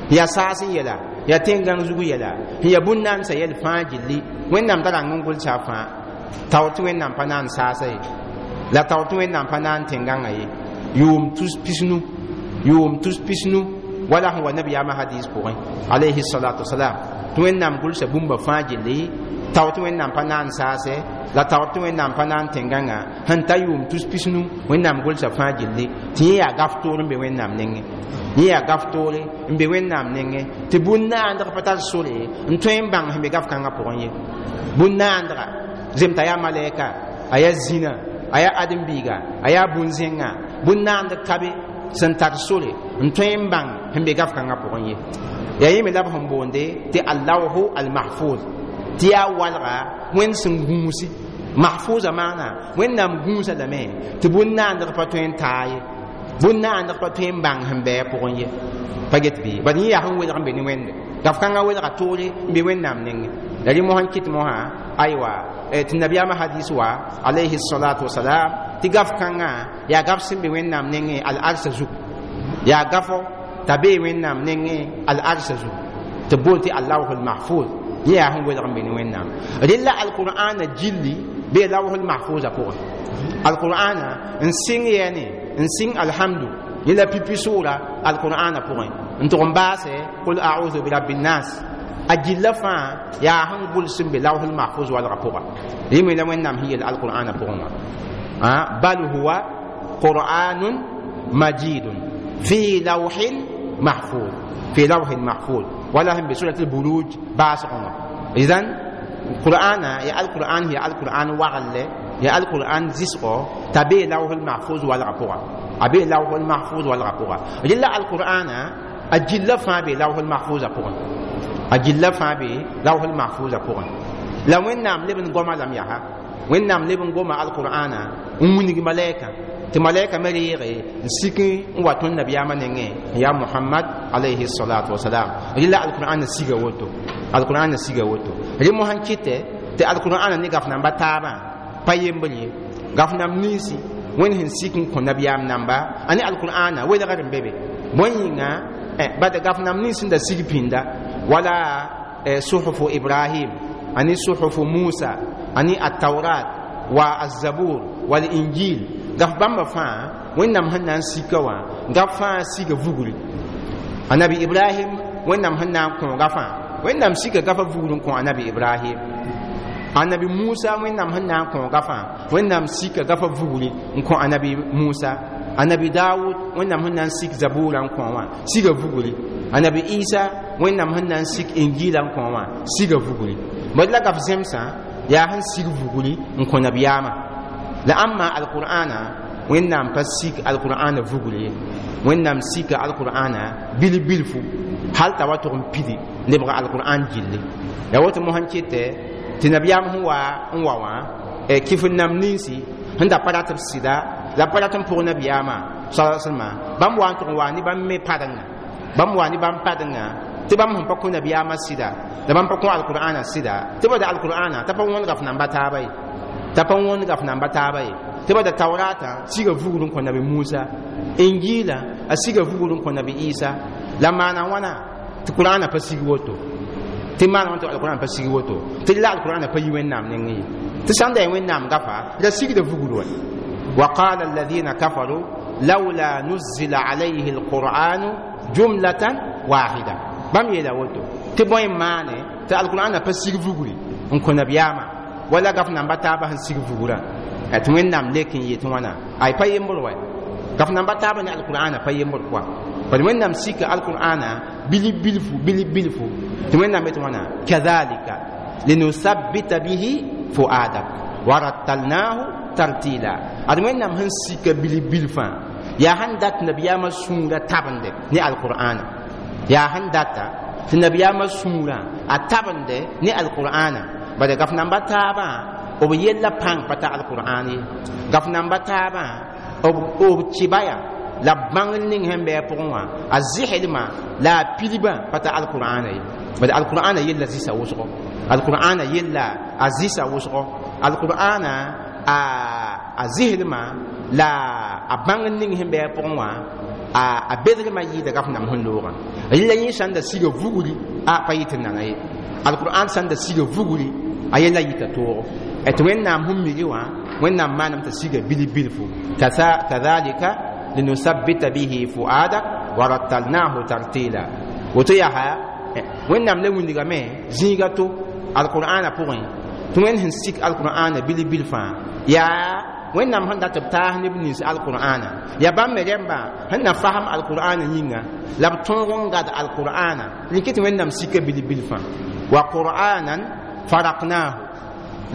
yaa saas n yɛla, yaa tẽn-gãng zug yɛla, sẽn yaa bũn-naandsã yɛl fãa gilli Wẽnnaam da rãng n gʋlsa a fãa tao tɩ Wẽnnaam pa na n saasa ye. La taoor tɩ Wẽnnaam pa na n tẽn-gãngã ye yʋʋm tus pisnu, yʋʋm tus pisnu, wala sẽn wa nabiyaamã hadis pʋgẽ alayhi salatu wasalam, tɩ Wẽnnaam gʋlsa bũmba fãa gilli taoor tɩ Wẽnnaam pa na n saase, la taoor tɩ Wẽnnaam pa na n tẽn-gãngã sẽn ta yʋʋm tus pisnu, Wẽnnaam gʋlsa fãa gilli tɩ yẽ yaa gaf toor n be Wẽnnaam nengẽ, yẽ yaa gaf toore n be Wẽnnaam nengẽ, tɩ bũn-naandg pa tar sore n tõe n bãng sẽn be gaf kãngã pʋgẽ ye. Bũn-naandga zemta yaa malɛka, a yaa zĩna, a yaa ãdem-biiga, a yaa bũn-zẽngã, bũn-naand ka be sẽn tar sore n tõe n bãng sẽn be gaf kãngã pʋgẽ ye. Yaa yẽ me la b sẽn boonde tɩ allawhu almahfuz, tɩ yaa walga Wẽnd sẽn gũusi. Mahfuza maana Wẽnnaam gũusa lame tɩ bũn-naandg pa tõe n taa ye, bũn-naandg pa tõe n bãng sẽn bɩ a pʋgẽ ye, pa get bɩ. Bad yẽ yaa sẽn welg n be ne Wẽnde gaf kãngã welga toore n be Wẽnnaam nengẽ. La rẽ mosã n kɩt mosã aywa tɩ nabiyaamã hadis wa alayhi salatu wasalam tɩ gaf kãngã yaa gaf sẽn be Wẽnnaam nengẽ al-arsa zug, yaa gafo t'a bee Wẽnnaam nengẽ al-arsa zug tɩ b boond tɩ allawhul mahfuz, yẽ yaa sẽn welg n be ne Wẽnnaam. Rella alqur'ana gilli bee lawhul mahfuza pʋgẽ. Alqur'ana n sɩng yɛɛne n sɩng alhamdu yẽ la pipi sʋʋra alqur'ana pʋgẽ n tʋg n baase qul a'udhu birabbi nnas, a gilla fãa yaa sẽn gʋls n be lawhul mahfuz walgã pʋga. Rẽ me la Wẽnnaam sẽn yel alqur'ana pʋgẽ wã bal huwa qur'anun majidun fi lawhin mahfuz, fi lawhin mahfuz, wala sẽn be surat al-buruj baasgẽ wã. Idan qur'ana ya alqur'an ya alqur'an waglle ya alqur'an zɩsgɔ t'a bee lawhul mahfuz walgã pʋga, a bee lawhul mahfuz walgã pʋga. Rella alqur'ana a gilla fãa bee lawhul mahfuza pʋgẽ, a gilla fãa bee lawhul mahfuza pʋgẽ. La Wẽnnaam leb n goma lame yaa Wẽnnaam leb n goma alqur'ana n wilg malɛka tɩ malɛka me reege n sik n wa tõnd nabiyaamã nengẽ n yaa Mohamad alayhi salatu wasalam. Rella alqur'ana siga woto, alqur'ana siga woto. Rẽ mosã n kɩtɛ tɩ alqur'ana ne gaf namba taabã pa yembr ye, gaf nam ninsi Wẽnd sẽn sik n kõ nabiyaam namba a ne alqur'ana welgr n be be. Bõe yĩnga bad gaf nam nins sẽn da sig pĩnda wala suhufu Ibrahim ani suhufu Musa ani ataurat wa azabur wal injil, gaf bãmba fãa Wẽnnaam sẽn na n sika wã gaf fãa siga vugri. Anabi Ibrahim Wẽnnaam sẽn na n kõ gafã, Wẽnnaam sika gafa vugr n kõ anabi Ibrahim. Anabi Musa Wẽnnaam sẽn na n kõ gafã, Wẽnnaam sika gafa vugri n kõ anabi Musa. Anabi Dawud Wẽnnaam sẽn na n sik zabura n kõ wã siga vugri. Anabi Isa Wẽnnaam sẽn na n sik injila n kõ wã siga vugri. Bad la gaf zemsã yaa sẽn sig vugri n kõ nabiyaamã. La ãmma alqur'ana Wẽnnaam pa sik alqur'ana vugri ye, Wẽnnaam sika alqur'ana bil-bilfu hal t'a wa tʋg n pidi lebg alqur'an gilli. Ya woto mosã n kɩtɛ tɩ nabiyaam sẽn wa n wa wã kɩf n nam ninsi sẽn da pa rat b sɩda la pa rat n pʋg nabiyaamã sa salma, bãmb wa n tʋg n wa ne bãmb me padenga, bãmb wa ne bãmb padenga tɩ bãmb sẽn pa kõ nabiyaamã sɩda la bãmb pa kõ alqur'ana sɩda, tɩ ba da alqur'ana t'a pa wõnd gaf namba taaba ye, t'a pa wõnd gaf namba taaba ye, tɩ ba da taurata siga vugr n kõ nabi Musa, injila a siga vugr n kõ nabi Isa. La maana wãna tɩ qur'ana pa sig woto, tɩ maana wãna tɩ alqur'an pa sig woto, tɩ la alqur'ana pa yi Wẽnnaam nengẽ ye, tɩ sãn da ya Wẽnnaam gafa la sigda vugr wa. وقال الذين كفروا لولا نزل عليه القرآن جملة واحدة. bãmb yeela woto tɩ bõe n maane tɩ alqur'ana pa sig vugri n kõ nabiyaamã wala gaf namba taabã sẽn sig vugrã tɩ Wẽnnaam lek n yet wãna ay pa yembr wa gaf namba taabã ne alqur'ana pa yembr pʋa. Bad Wẽnnaam sika alqur'ana bilib bilfu bilib bilfu tɩ Wẽnnaam yet wãna kadhalika linusabbita bihi fuadak warattalnahu tartila. Ad Wẽnnaam sẽn sika bilib bilfã yaa sẽn dat nabiyaamã sũurã tabende ne alqur'ana, yaa sẽn data tɩ nabiyaamã sũurã a tabende ne alqur'ana. Bala gaf namba taabã b yella pãng pa ta alqur'an ye, gaf namba taabã b kɩba ya la b bãngr ning sẽn bɩ a pʋgẽ wã a zɩslmã la a pilbã pa ta alqur'ana ye. Bala alqur'ana yella zɩsa wʋsgo, alqur'ana yella a zɩsa wʋsgo, alqur'ana a a zɩslmã la a bãngr ning sẽn bɩ a pʋgẽ wã a bedrmã yɩɩda gaf nam sẽn loogã. Rɩla yẽ sãn da siga vugri a pa yɩ tɩ nana ye, alqur'an sãn da siga vugri A yella yita toogo tɩ Wẽnnaam sẽn migi wã, Wẽnnaam maanam t'a siga bilf-bilfu. Kadhalika linusabbita bihi fuadak wa rattalnahu tartila. Woto yaa Wẽnnaam le wilgame zĩiga to alqur'ana pʋgẽ tɩ Wẽnd sẽn sik alqur'ana bilf-bilfã yaa Wẽnnaam sẽn dat b taas neb nins alqur'ana yaa bãmb me rẽmba sẽn na fasem alqur'ana yĩnga la b tõog n gad alqur'ana rɩk tɩ Wẽnnaam sika bilf-bilfã. Wa qur'anan faraqnahu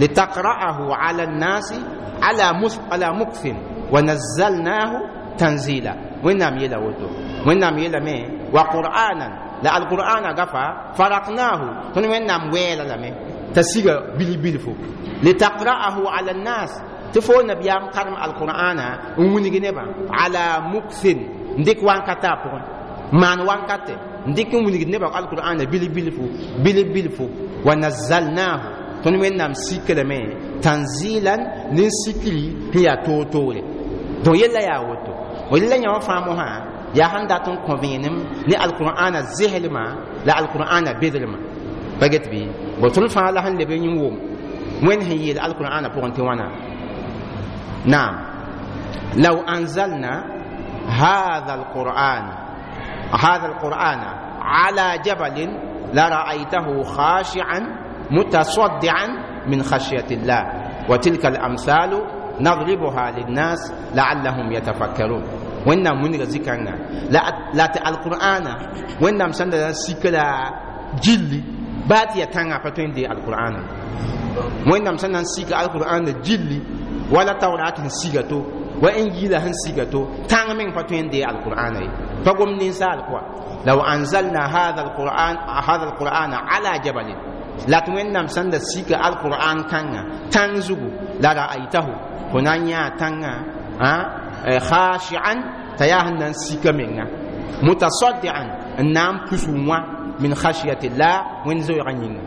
litaqra'ahu ala nnasi ala ala mukthin wa nazzalnahu tanzila. Wẽnnaam yeela woto, Wẽnnaam yeelame wa qur'anan la alqur'ana gafa faraqnahu tõnd Wẽnnaam wɛɛla lame t'a siga bilf-bilfu litaqra'ahu ala nnas tɩ fo nabiyaam karem alqur'ana n wilg nebã ala mukthin n dɩk wankata a pʋgẽ maan wankate n dɩk n wilgd nebã alqur'ana bilf-bilfu bilf-bilfu wa nazzalnahu tõnd Wẽnnaam sik lame tanzilan ne sikri sẽn yaa toor-toore. Donc yella yaa woto walla yã wã fãa mosã yaa sẽn dat n kõ vẽenem ne alqur'ana zeslmã la alqur'ana bedrmã pa get bɩ bo tõnd fãa la sẽn leb n wʋm Wẽnd sẽn yeel alqur'ana pʋgẽ tɩ wãna. Naam, law anzalna hadha alquran hadha alqur'ana ala jabalin lara'aytahu khashi'an mutasaddian min khashyati llah wa tilka alamthalu nadribuha linnas la'allahum yatafakkarun. Wẽnnaam wilga zikãnga la tɩ alqur'ana Wẽnnaam sẽn da sik la gilli baa tɩ yaa tãngã pa tõe n dee alqur'ana. Wẽnnaam sẽn na n sik alqur'ana gilli wala tawrat sẽn siga to wa injila sẽn siga to tãng meng pa tõe n dee alqur'ana ye pa gom ninsaal kɔa. Law anzalna hadha alquran hadha alqur'ana ala jabalin la tɩ Wẽnnaam sẽn da sika alqur'an kãngã tãng zugu la ra'aytahu fo na n yãa tãngã khashi'an t'a yaa sẽn na n sika menga mutasaddian n na n pus wã min khashyati llah Wẽnd zoeegã yĩnga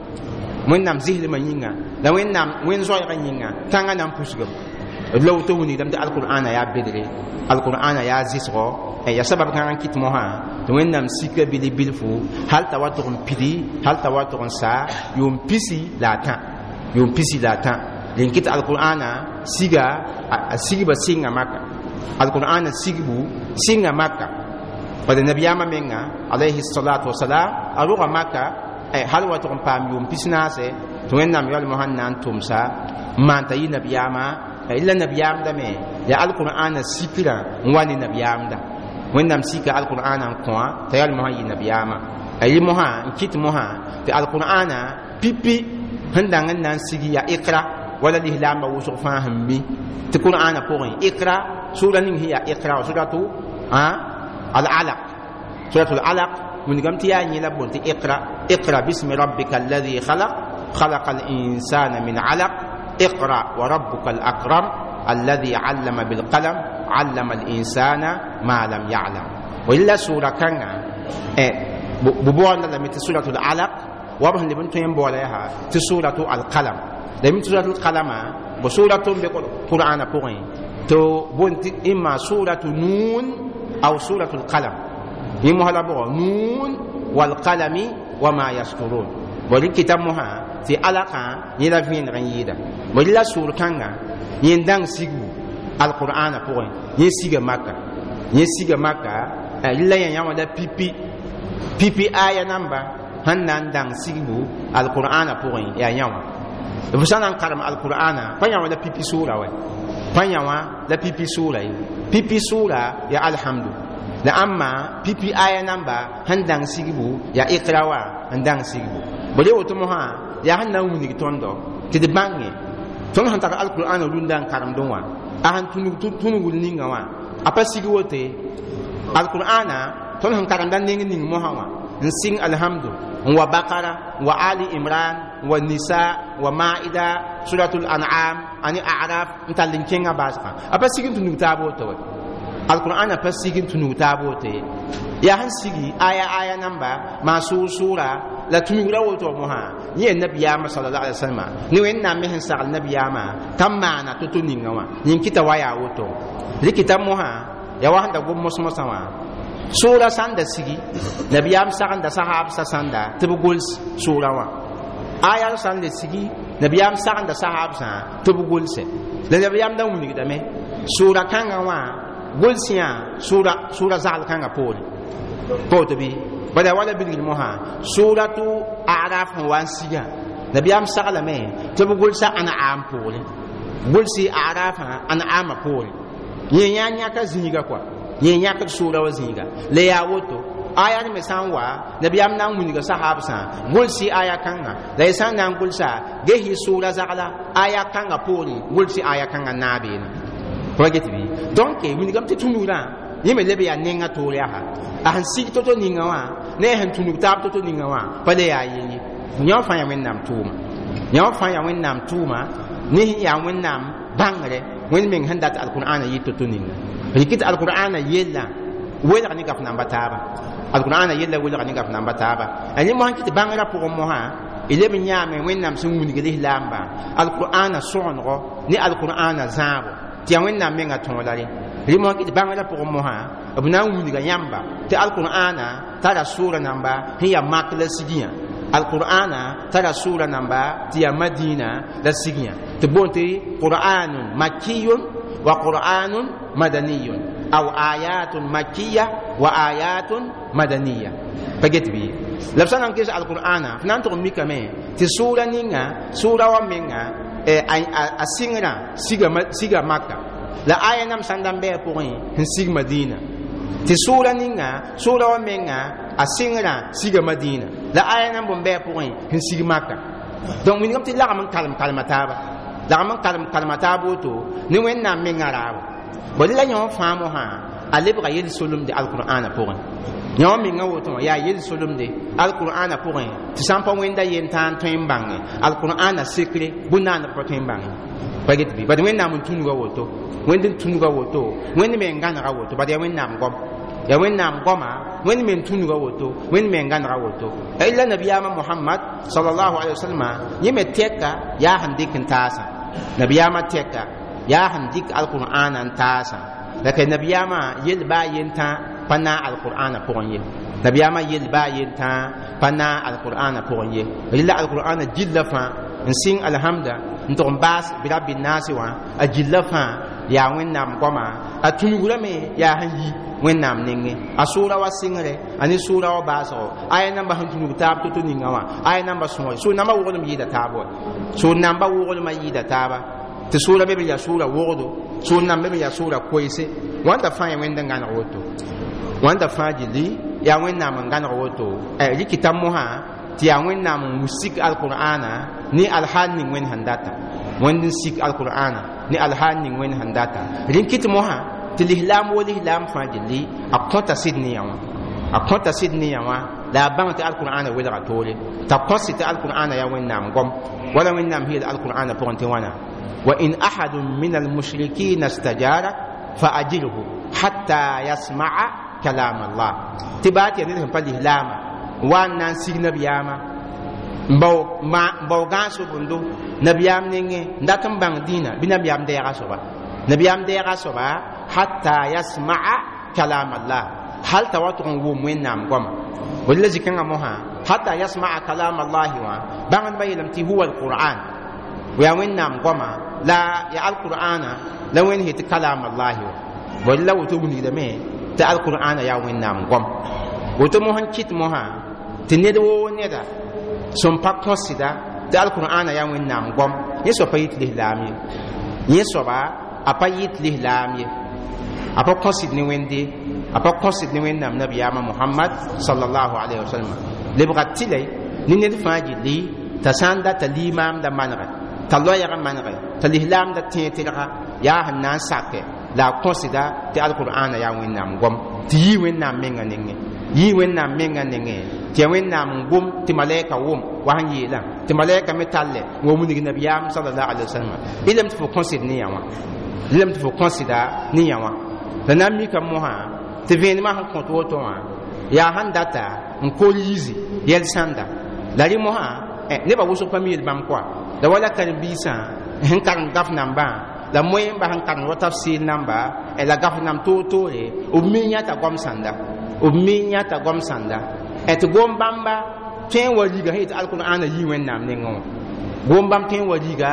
Wẽnnaam zislmã yĩnga la Wẽnnaam Wẽnd zoeegã yĩnga tãngã na n pusgame la woto wilgdame tɩ alqur'ana yaa bedre alqur'ana yaa zɩsgɔ ya sabab kãng n kɩt mosã tɩ Wẽnnaam sika bilf-bilfu hal t'a wa tʋg n pidi hal t'a wa tʋg n saa yʋʋm pisi la a tã yʋʋm pisi la a tã rẽn kɩt alqur'ana siga a sigba sɩnga Maka alqur'ana sigbu sɩnga Maka bala nabiyaamã menga alayhi salatu wasalam a rʋga Maka hal wa tʋg n paam yʋʋm pis naase tɩ Wẽnnaam yaool mosã n na n tʋmsa n maan t'a yɩ nabiyaamã la nabiyaamdame ya alqur'ana sikrã n wa ne nabiyaamda Wẽnnaam sika alqur'ana n kõa t'a yaool mosã yɩ nabiyaamã yɩ mosã n kɩt mosã tɩ alqur'ana pipi sẽn dãng n na n sigi yaa ikra wala lislaambã wʋsg fãa sẽn mi tɩ qur'ana pʋgẽ ikra sura ning sẽn yaa ikra wa suratu al-alaq suratu al-alaq wilgame tɩ yaa yẽ la boond tɩ iqra iqra bismi rabbika alladhi khalaq khalaqa al-insana min alaq iqra wa rabbuka al-akram alladhi allama bilqalam allama al-insana ma lam ya'lam walla sura kãnga b boonda lame tɩ suratu al-alaq wa b sẽn leb n tõe n boola yaa tɩ suratu al-qalam la mi suratu al-qalama bo suratu n be qur'ana pʋgẽ to boond tɩ imma suratu nun aw suratu al-qalam yẽ mosã la bʋgɔ nun walqalami wama yasturun bo rɩ kɩta mosã tɩ alakã yẽ la vẽeneg n yɩɩda bo rɩ la sʋʋr kãnga yẽ n dãng sigbu alqur'ana pʋgẽ yẽ siga Maka yẽ siga Maka rɩ la yã yã wã la pipi pipi aya namba sẽn na n dãng sigbu alqur'ana pʋgẽ yaa yã wã f sã na n karem alqur'ana pa yã wã la pipi sʋʋra wɛ pa yã wã la pipi sʋʋra ye pipi sʋʋra ya alhamdu la ãmma pipi aya namba sẽn dãng sigbu yaa ikra wa n dãng sigbu bo le woto mosã yaa sẽn na n wilg tõndo tɩ d bãnge tõnd sẽn tar alqur'ana rũndã n karemdẽ wã a sẽn tũnugl ninga wã a pa sig wote alqur'ana tõnd sẽn karemda neng ning mosã wã n sɩng alhamdu n wa bakara n wa ali imran n wa nisa n wa maida suratul an'am ani a'raf n tall n kẽngã baasgã a pa sig n tũnug taab woto wɛ alqur'ana pa sig n tũnug taab woto ye yaa sẽn sigi aya aya namba maa sʋʋr sʋʋra la tũnugra woto mosã yẽ nabiyaamã sallallahu alaihi wasallam ne Wẽnnaam me sẽn sagl nabiyaamã t'a maana to-to ninga wã yẽn kɩta wa yaa woto rɩkɩta mosã yaa wa sẽn da gom mos-mosã wã sʋʋra sãn da sigi nabiyaam sagenda sahaabsã sãnda tɩ b gols sʋʋra wã aya sãn le sigi Nabiyaam sagenda sahabsã tɩ b gʋlse la nabiyaam da wilgdame sʋʋra kãngã wã gʋls yã sʋʋra zagl kãngã poore pa woto bɩ bala wala bilgr mosã sʋʋratu Araf sẽn wa n sigã nabiyaam saglame tɩ b gʋlsa An'am poore gʋlsɩ Arafã An'amã poore yẽ yã yãka zĩiga kɔa yẽ yãkd sʋʋra wa zĩiga la yaa woto aya me sã n wa nabiyaam na n wilga sahabsã gʋlsɩ aya kãnga la y sã n na n gʋlsa ges y sʋʋra zagla aya kãngã poore gʋlsɩ aya kãngã naabeene pa get bɩ donc wilgame tɩ tũnugrã yẽ me leb yaa nenga toor yaa a sẽn sig to-to ninga wã ne a sẽn tũnug taab to-to ninga wã pa le yaa yel ye yã fãa yaa Wẽnnaam tʋʋma yã fãa yaa Wẽnnaam tʋʋma ne yaa Wẽnnaam bãngre Wẽnd meng sẽn dat alqur'ana yɩ to-to ninga rɩk tɩ alqur'ana yellã welg ne gaf namba taaba alqur'ana yella welg ne gaf namba taaba a yẽ mosã kɩ tɩ bãngrã pʋgẽ mosã y leb n yãame Wẽnnaam sẽn wilg lislaambã alqur'ana sõgenego ne alqur'ana zãabo tɩ yaa Wẽnnaam menga tõola rẽ rẽ mosã kɩ tɩ bãngrã pʋgẽ mosã b na n wilga yãmba tɩ alqur'ana tara sʋʋra namba sẽn yaa mak la sigiyã alqur'ana tara sʋʋra namba tɩ yaa Madina la sigiyã tɩ boond tɩ qur'anun makiyun wa qur'anun madaniyun aw ayatun makiya wa ayatun madaniya pa get bɩ la b sã na n ges alqur'ana f na n tʋg n mikame tɩ sʋʋra ninga sʋʋra wa menga a sɩngrã siga Maka la aya nam sã n da n bɩ a pʋgẽ sẽn sig Madina tɩ sʋʋra ninga sʋʋra wa menga a sɩngrã siga Madina la aya nam bõn bɩ a pʋgẽ sẽn sig Maka donc wilgame tɩ lagm n kalem kalma taaba lagm n kalem kalma taab woto ne Wẽnnaam menga raabo bala la yã wã fãa mosã a lebga yel-solemde alqur'ana pʋgẽ yã wã menga woto wã yaa yel-solemde alqur'ana pʋgẽ tɩ sã n pa wẽnda yentãan tõe n bãnge alqur'ana sekre bũn-naaneg pa tõe n bãnge pa get bɩ bad Wẽnnaam n tũnuga woto Wẽnd n tũnuga woto Wẽnd me n gãnega woto bad yaa Wẽnnaam goam yaa Wẽnnaam goama Wẽnd me n tũnuga woto Wẽnd me n gãnega woto illa nabiyaamã Mohamad sallallahu alaihi wasallam yẽ me tɛka yaa sẽn dɩk n taasã nabiyaamã tɛka yaa sẽn dɩk alqur'ana n taasã la ka nabiyaamã yel baa yentã pa naag alqur'ana pʋgẽ ye nabiyaamã yel baa yentã pa naag alqur'ana pʋgẽ ye rɩla alqur'ana gilla fãa n sɩng alhamda n tʋg n baas birabi naase wã a gilla fãa yaa Wẽnnaam goama a tũnugrame yaa sẽn yi Wẽnnaam nengẽ a sʋʋra wa sɩngre a ne sʋʋra wa baasgo aya namba sẽn tũnug taab to-to ninga wã aya namba sõore sʋʋr namba woglem yɩɩda taab wa sʋʋr namba woglema yɩɩda taaba tɩ sʋʋra be be yaa sʋʋra wogdo sʋʋr namba be yaa sʋʋra koeese wãnda fãa yaa Wẽnd n gãneg woto wãnda fãa gilli yaa Wẽnnaam n gãneg woto rɩkɩta mosã tɩ yaa Wẽnnaam n sik alqur'ana ne alhaal ning Wẽnd sẽn data Wẽnd n sik alqur'ana ne alhaal ning Wẽnd sẽn data rẽn kɩt mosã tɩ lislaam wo lislaam fãa gilli a kõta sɩd ne yã wã a kõta sɩd ne yã wã la a bãng tɩ alqur'ana welga toore t'a kõs tɩ alqur'ana yaa Wẽnnaam goam wala Wẽnnaam yeel alqur'ana pʋgẽ tɩ wãna وإن أحد من المشركين استجارك فأجره حتى يسمع كلام الله تبات يعني لهم فالإسلام وأن نسيج نبياما باو ما باو غانسو بندو نبيام نينغ ndatan bang dina bi nabiyam deega soba nabiyam deega soba hatta yasma'a kalam Allah hal tawatu wʋm Wẽnnaam goama wala zikãngã mosã hatta yasma'a kalam Allah wã bãngdbã yeelame tɩ huwa alqur'an yaa Wẽnnaam goama la ya alqur'ana la Wẽnd yetɩ kalam allahi wa wala woto wilgdame tɩ alqur'ana yaa Wẽnnaam goam woto mos n kɩt mosã tɩ ned woo neda sẽn pa kõsda tɩ alqur'ana yaa Wẽnnaam goam yẽ soab pa yit lislaam ye yẽ soaba a pa yit lislaam ye a pa kõsd ne Wẽnde a pa kõsd ne Wẽnnaam nabiyaamã Mohamad sallallahu alaihi wasallam lebga tɩlɛ ne ned fãa gilli t'a sã n data limaamda manegɛ t'a loɛɛgã manegɛ t'a lislaamda tẽeg tɩlga yaa sẽn na n sakɛ la a kõsda tɩ alqur'ana yaa Wẽnnaam goam tɩ yii Wẽnnaam menga nengẽ yii Wẽnnaam menga nengẽ tɩ yaa Wẽnnaam n gom tɩ malɛka wʋm wa sẽn yeelã tɩ malɛka me tallɛ n wa wilg nabiyaam sallallahu alaihi wasallam ilame tɩ fo kõsd ne yã wã ilame tɩ fo kõsda ne yã wã la na n mika mosã tɩ vẽenemã sẽn kõt woto wã yaa sẽn data n kol yizi yɛl sãnda la rẽ mosã nebã wʋsg pa mi yel bãmb koa la wala karen-biisã sẽn karem gaf nambã la moẽmba sẽn karem wa tafsir namba la gaf nam toor-toore b mi yãta goam sãnda b mi yãta goam sãnda tɩ gom bãmba tõe n wa riga sẽn yetɩ alqur'ana yii Wẽnnaam nengẽ wã Gom bãmb tõe n wa riga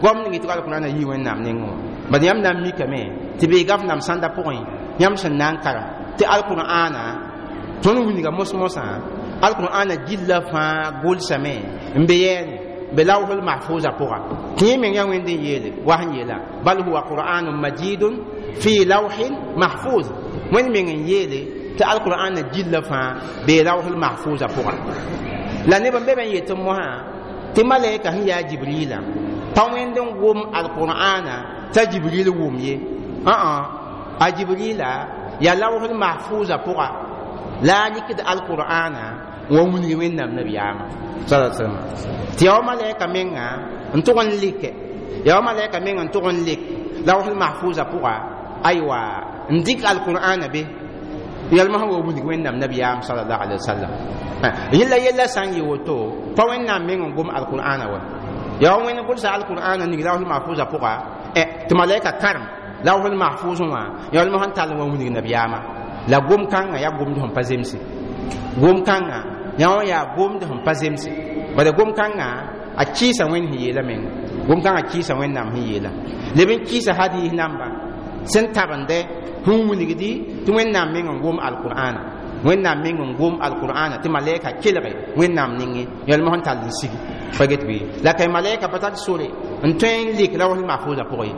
goam ning tɩ alqur'ana yii Wẽnnaam nengẽ wã. Bad yãmb na n mikame tɩ beega f nam sãnda pʋgẽ yãmb sẽn na n karem tɩ alqur'ana tõnd wilga mos-mosã alqur'ana gilla fãa gʋlsame n be yɛɛne be lawhul mahfuza pʋga tɩ yẽ meng yaa Wẽnd n yeele wa sẽn yeela bal huwa qur'anun majidun fi lawhin mahfuz. Wẽnd meng n yeele tɩ alqur'ana gilla fãa bee lawhul mahfuza pʋga. La neb n be me n yet mosã tɩ malɛka sẽn yaa Jibrila pa Wẽnd n gom alqur'ana t'a Jibril wʋm ye ã a Jibrila yaa lawhul mahfuza pʋga la a rɩkd alqur'ana wa wilg Wẽnnaam nabiyaamã sala salama tɩ yaa wa malɛka menga n tʋg n like yaa wa malɛka meng n tʋg n lik lawhul mahfuza pʋga aywa n dɩk alqur'ana be yɛlmã sẽn wa wilg Wẽnnaam nabiyaam salallahu alaihi wasallam. Yella yella sã n yɩ woto pa Wẽnnaam meng n gom alqur'ana wa yaa wa Wẽnd gʋlsa alqur'ana ning lawhul mahfuza pʋga tɩ malɛka karem lawhul mahfuz wã yɛlmã sẽn tall n wa wilg nabiyaamã la gom kãngã yaa gomd sẽn pa zemse gom kãngã yã wã yaa gomd sẽn pa zemse bala gom kãngã a kɩɩsa Wẽnd sẽn yeela menga gom kãngã kɩɩsa Wẽnnaam sẽn yeela leb n kɩɩsa hadiis namba sẽn tabende sẽn wilgdi tɩ Wẽnnaam meng n gom alqur'ana Wẽnnaam meng n gom alqur'ana tɩ malɛka kelge Wẽnnaam nengẽ yɛlmã sẽn tall n sigi pa get bɩ la kay malɛka pa tar sore n tõe n lik lawhul mahfuza pʋgẽ ye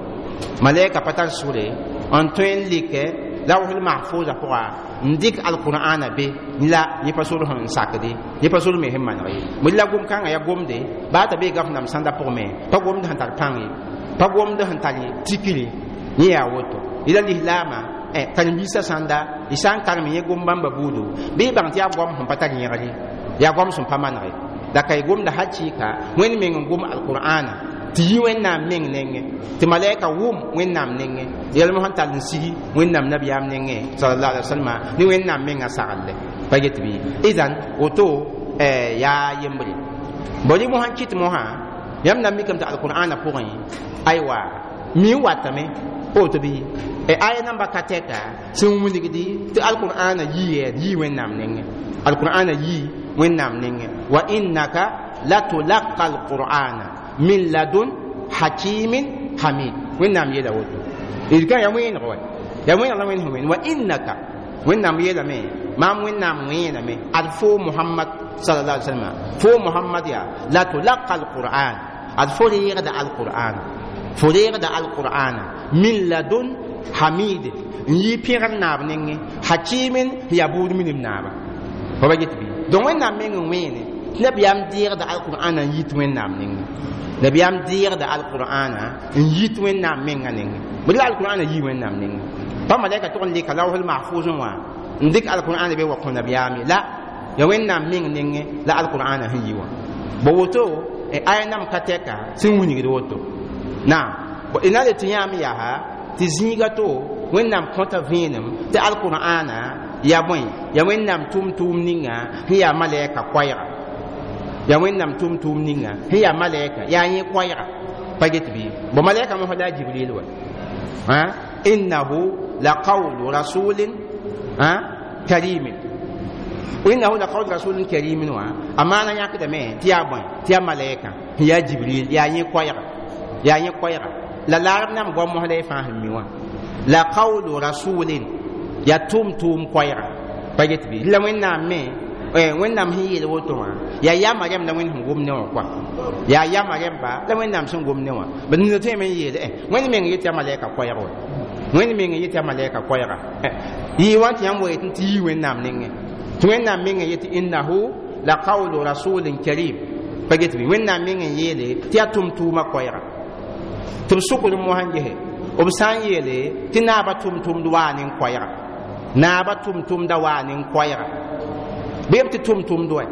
malɛka pa tar sore n tõe n like lawhul mahfuza pʋga n dɩk alqur'ana be la yẽ pa sor sẽn sakde yẽ pa sor me sẽn maneg ye bõe la gom kãngã yaa gomde baa t'a bee gaf nam sãnda pʋgẽ me pa gomd sẽn tar pãng ye pa gomd sẽn tar tikre yẽ yaa woto yẽla lislaamã karen-biisã sãnda y sã n karem yẽ gom bãmba buudu bɩ y bãng tɩ yaa goam sẽn pa tar yẽgre yaa goam sẽn pa manege la ka y gomda hakɩɩka Wẽnd meng n gom alqur'ana tɩ yi Wẽnnaam meng nengẽ tɩ malɛka wʋm Wẽnnaam nengẽ yɛlmã sẽn tall n sigi Wẽnnaam nabiyaam nengẽ salallahu alaihi wasallam ne Wẽnnaam mengã saglle pa get bɩ idan woto yaa yembre bõ rɩ mosã n kɩt mosã yãmb na n mikame tɩ alqur'ana pʋgẽ aywa mi n watame woto bɩ aya namba ka tɛka sẽn wilgdi tɩ alqur'ana yii yii Wẽnnaam nengẽ alqur'ana yii Wẽnnaam nengẽ wa innaka latulaqa alqur'ana min ladun hakimin hamid Wẽnnaam yeela woto d kã yaa wẽeneg wa yaa wẽeneg la Wẽnd sẽn wẽnd wa innaka Wẽnnaam yeelame maam Wẽnnaam wẽename ad fo Muhammad sallallahu alaihi wasallam fo Muhammad yaa latulaqa alqur'an ad fo reegda alqur'an fo reegda alqur'ana min ladun hamid n yɩ pẽgr naab nengẽ hakimin yaa buud minim naaba fa ba get bɩ donc Wẽnnaam meng n wẽene tɩ nabiyaam deegda alqur'ana n yit Wẽnnaam nengẽ nabiyaam deegda alqur'ana n yit Wẽnnaam menga nengẽ bõe la alqur'ana yii Wẽnnaam nengẽ pa malɛka tʋg n leka lawhul mahfuz wã n dɩk alqur'ana be wa kõ nabiyaam ye la ya Wẽnnaam meng nengẽ la alqur'ana sẽn yi wã bo woto aya nam ka tɛka sẽn wilgd woto naam d na le tɩ yãam yaa tɩ zĩiga to Wẽnnaam kõta vẽenem tɩ alqur'ana yaa bõe yaa Wẽnnaam tʋm-tʋʋm ninga sẽn yaa malɛka koɛɛga yaa Wẽnnaam tʋm-tʋʋm ninga sẽn yaa malɛka yaa yẽ koɛɛga pa get bɩ bõ malɛka mosã la a Jibril wa innahu laqawlu rasulin karimin innahu laqawlu rasulin karimin wã a maana yãkdame tɩ yaa bõe tɩ yaa malɛka sẽn yaa Jibril yaa yẽ koɛɛga yaa yẽ koɛɛga la laarb nam goam mosã la y fãa sẽn mi wã la qawlu rasulin yaa tʋm-tʋʋm koɛɛga pa get bɩ la Wẽnnaam me Wẽnnaam sẽn yeel woto wã yaa yama rẽmb la Wẽnd sẽn gom ne wã kɔa yaa yama rẽmba la Wẽnnaam sẽn gom ne wã b nina tõeme n yeele Wẽnd meng yet yaa malɛka koɛɛg wa Wẽnd meng yet yaa malɛka koɛɛga yɩ wa tɩ yãmb wa yet tɩ yii Wẽnnaam nengẽ tɩ Wẽnnaam meng yet innahu la qawlu rasulin karim pa get bɩ Wẽnnaam meng n yeele tɩ yaa tʋm-tʋʋmã koɛɛga tɩ b sʋkd mosã n gese b sã n yeele tɩ naabã tʋm-tʋmd waa ne koɛɛga naabã tʋm-tʋmda waa ne koɛɛga bɩ b tɩ tʋm-tʋmd wa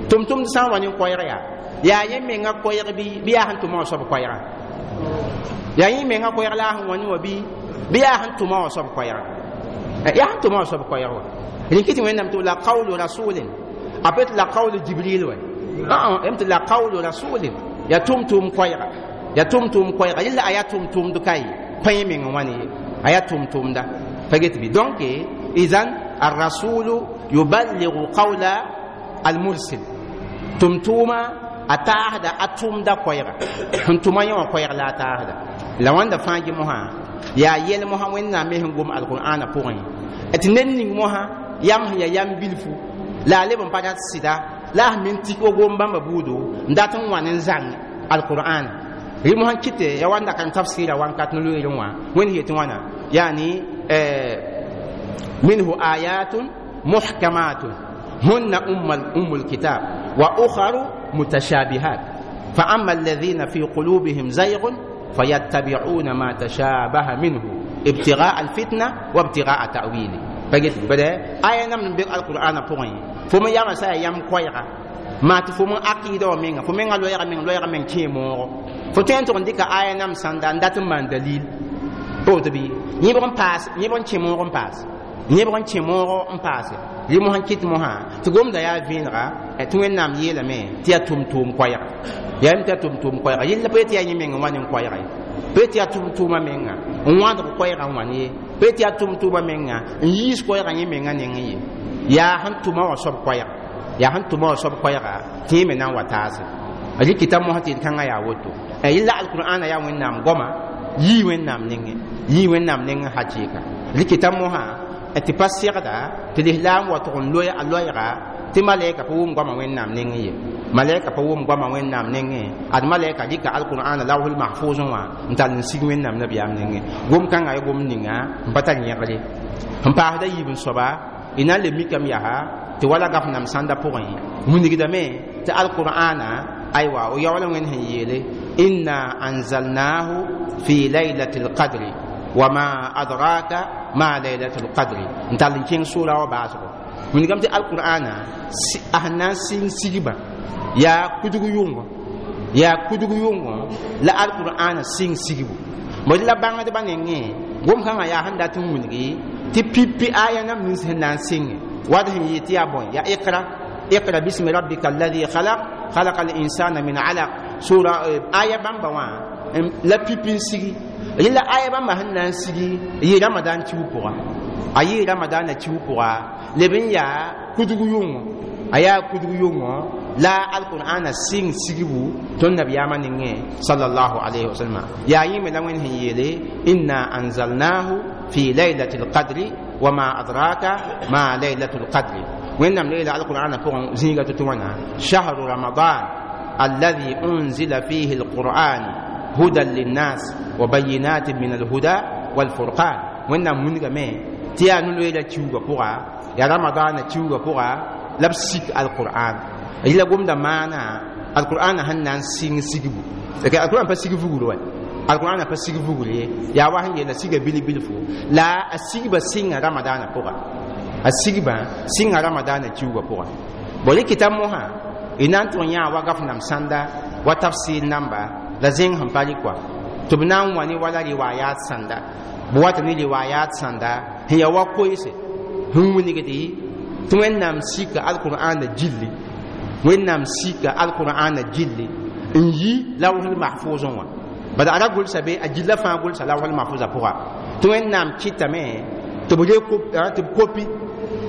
tʋm-tʋmd sã n wa ne koɛɛg yaa yaa yẽ menga koɛɛg bɩ bɩ yaa sẽn tʋma wã soab koɛɛga yaa yẽ menga koɛɛg la a sẽn wa ne wã bɩ bɩ yaa sẽn tʋma wã soab koɛɛga yaa sẽn tʋma wã soab koɛɛg wa rẽn tɩ Wẽnnaam tɩ la qawlu rasulin a pa tɩ la qawlu Jibril wa ã tɩ la qawlu rasulin yaa tʋm-tʋʋm koɛɛga yaa tʋm-tʋʋm koɛɛga yella a yaa tʋm-tʋʋmd ka ye pa yẽ meng n wa ne ye a yaa tʋm-tʋʋmda pa get bɩ donc idan الرسول يبلغ قول المرسل tʋm-tʋʋma a taasda a tʋmda koɛɛga sẽn tʋma yẽ wã koɛɛg la a taasda la wãnda fãa gɩ mosã yaa yɛl mosã wẽnnaam me sẽn gom alqur'ana pʋgẽ tɩ ned ning mosã yam sẽn yaa yam bilfu la a leb n pa rat sɩda la a sẽn min tik wa gom bãmba buudo n dat n wãn n zãng alqur'ana rɩ mosã kɩtɛ ya wãnda kan tafsɩra wãnkat ne loeerẽ wã wẽnd yetɩ wãna yaani minhu ayatun muhkamatun hunna ummul kitab wa ukharu mutashabihat fa amma alladhina fi qulubihim zayghun fayattabi'una ma tashabaha minhu ibtigha'a alfitna wa ibtigha'a ta'wili pagit bada aya nam n be alqur'ana pʋgẽ fo me yama sa ya yam koɛɛga maa tɩ fo me aqɩɩda wã menga fo menga loɛɛga meng loɛɛga meng kẽe moogo fo tõe n tʋg n dɩka aya nam sãnda n dat n maan dalil pa woto bɩ yẽbg n paas yẽbg n kẽ moog n paas yẽbg n kẽ moogo n paase rɩ mosã kɩt mosã tɩ gomda yaa vẽenega tɩ wẽnnaam yeelame tɩ yaa tʋm-tʋʋm koɛɛga yaa tɩ yaa tʋm-tʋʋm koɛɛga yella pa tɩ yaa yẽ meng n wa ne koɛɛga ye pa tɩ yaa tʋm-tʋʋmã menga n wãdg koɛɛgã n wa ne ye pa tɩ yaa tʋm-tʋʋmã menga n yiis koɛɛgã yẽ menga nengẽ ye yaa sẽn tʋma wã soab koɛɛga yaa sẽn tʋma wã soab koɛɛga tɩ yẽ me na n wa taase rɩkɩta mosã tɩ d-kãngã yaa woto yella alqur'ana yaa wẽnnaam goama yii wẽnnaam nengẽ yii wẽnnaam nengẽ hakɩɩka rɩkɩta mosã tɩ pa segda tɩ lislaam wa tʋg n loe a loɛɛga tɩ malɛka pa wʋm goamã wẽnnaam nengẽ ye malɛka pa wʋm goamã wẽnnaam nengẽ ad malɛka dɩka alqur'ana lawsl mahfʋʋsẽ wã n tall n sig wẽnnaam nabiyaam nengẽ gom kãngã ya gom ninga n pa tar yẽgre sẽn paasda yiib n soaba y na n le mikame yaa tɩ wala gaf nam sãnda pʋgẽ wilgdame tɩ alqur'ana aywa o yaool wẽnd sẽn yeele inna anzalnahu fi laylati lqadri wama adraka ma laylatu lqadri n tall n kẽng sʋʋra wã baasgo wilgame tɩ alqur'ana a sẽn na n sɩng sigba yaa kudg yʋngɔ yaa kudg yʋngɔ la alqur'ana sɩng sigbu bõe la bãngdbã nengẽ gom-kãngã yaa sẽn dat n wilgi tɩ pipi aya nam nins sẽn na n sɩnge wad sẽn yɩ tɩ yaa bõe yaa iqra iqra bismi rabbika alladhi khalaq khalaqa al-insana min alaq sura aya bãmba wã la pipi n sigi rɩla aya bãmba sẽn na n sigi yɩ ramadan kiu pʋga a yɩ ramadana kiu pʋga leb n yaa kudg yʋngɔ a yaa kudg yʋngɔ la alqur'ana sɩng sigbu tõnd nabiyaamã nengẽ sallallahu alayhi wa sallam yaa yẽ me la wẽnd sẽn yeele inna anzalnahu fi laylati lqadri wama adraka ma laylatu lqadri wẽnnaam leela alqur'ana pʋgẽ zĩiga tɩ tɩ wãna shahru ramadan alladhi unzila fihi alqur'an hudan linnas wa bayinatin min alhuda walfurqan wẽnnaam wilgame tɩ yaa no-loeera kiuugã pʋga yaa ramadana kiuugã pʋga la b sik alqur'an yɩla gomda maana alqur'ana sẽn na n sɩng sigbu alqur'an pa sig vugr wa alqur'ana pa sig vugr ye yaa wa sẽn yeela siga bil-bilfu la a sigba sɩnga ramadana pʋga a sigba sɩnga ramadana kiuugã pʋga bon rɩkɩta mosã y na n tʋg yã wa gaf nam sãnda wa tafsir namba la zẽng sẽn pa rɩ kɔa tɩ b na n wa ne wala riwayat sãnda b wata ne riwayat sãnda sẽn yaa wa koeese sẽn wilgdi tɩ wẽnnaam sika alqur'ana gilli wẽnnaam sika alqur'ana gilli n yi lawsl mahfʋʋsẽ wã bad a ra gʋlsa be a gilla fãa gʋlsa lawsl mahfʋʋsã pʋga tɩ wẽnnaam kɩtame tɩ b tɩ b kopi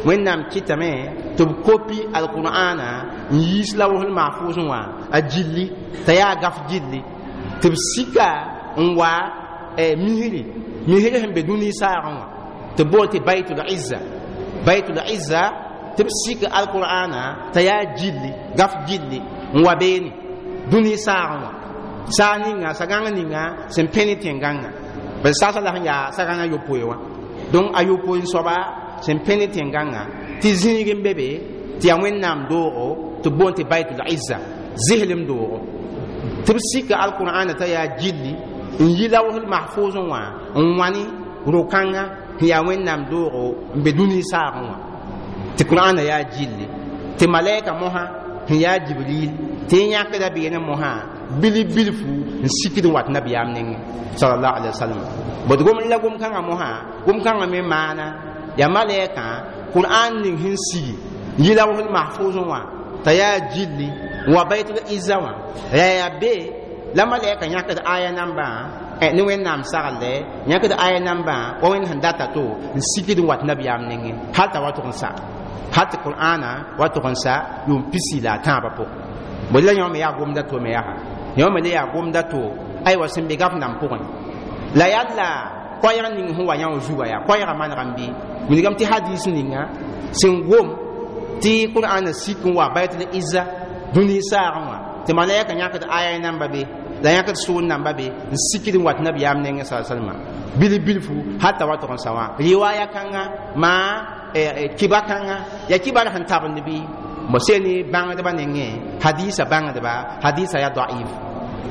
wẽnnaam kɩtame tɩ b kopi alqur'ana n yiis lawsl mahfʋʋsẽ wã a gilli t'a yaa gaf gilli tɩ b sika n wa misri misri sẽn be dũni saagẽ wã tɩ bool tɩ baitul izza baitul izza tɩ b sik alqur'ana t'a yaa gilli gaf gilli n wa beene dũni saagẽ wã saag ninga sagãng ninga sẽn pẽ ne tẽn-gãngã bad saasã la sẽn yaa sagãngã yopoe wã donc a yopoe n soaba sẽn pẽ ne tẽn-gãngã tɩ zĩig n be be tɩ yaa wẽnnaam doogo tɩ b boond tɩ baitul izza zislem doogo tɩ b sika alqur'ana t'a yaa gilli n yi lawsl mahfʋʋsẽ wã n wãne ro-kãngã sẽn yaa wẽnnaam doogo n be dũni saagẽ wã tɩ qur'ana yaa gilli tɩ malɛka mosã sẽn yaa jibril tɩ y yãkda beene mosã bil bilfu n sikd n wat nabiyaam nengẽ salallahu alaihi wasallam bd gom la gom-kãngã mosã gom-kãngã me maana yaa malɛkã qur'an ning sẽn sigi n yi lawsl mahfʋʋsẽ wã t'a yaa gilli n wa baitul izza wã ya yaa be la malɛka yãkd aya nambã ne wẽnnaam saglɛ yãkd aya nambã wa wẽnd sẽn data to n sikd n wat nabiyaam nengẽ hal t'a wa tʋg n sa hal tɩ qur'ana wa tʋg n sa yʋʋm pisi la a tãabã pʋgẽ Bõe la yõ me yaa gomda to me yaa yõ me le yaa gomda to aywa sẽn be gaf nam pʋgẽ la yaa la koɛɛg ning sẽn wa yã wã zuga yaa koɛɛgã manegame bɩ wilgame tɩ hadis ninga sẽn gom tɩ qur'ana sik n wa baitul izza dũni saagẽ wã tɩ malaika yãkd aya namba be la yãkd soor namba be n sikd n wat nabiyaam nengẽ sa salma bil bilfu hatta wa tʋg n sa wã riwaya kãnga maa kiba kãnga yaa kibar sẽn tabend bɩ bo seni bãngdbã nengẽ hadisa bãngdba hadisa yaa daif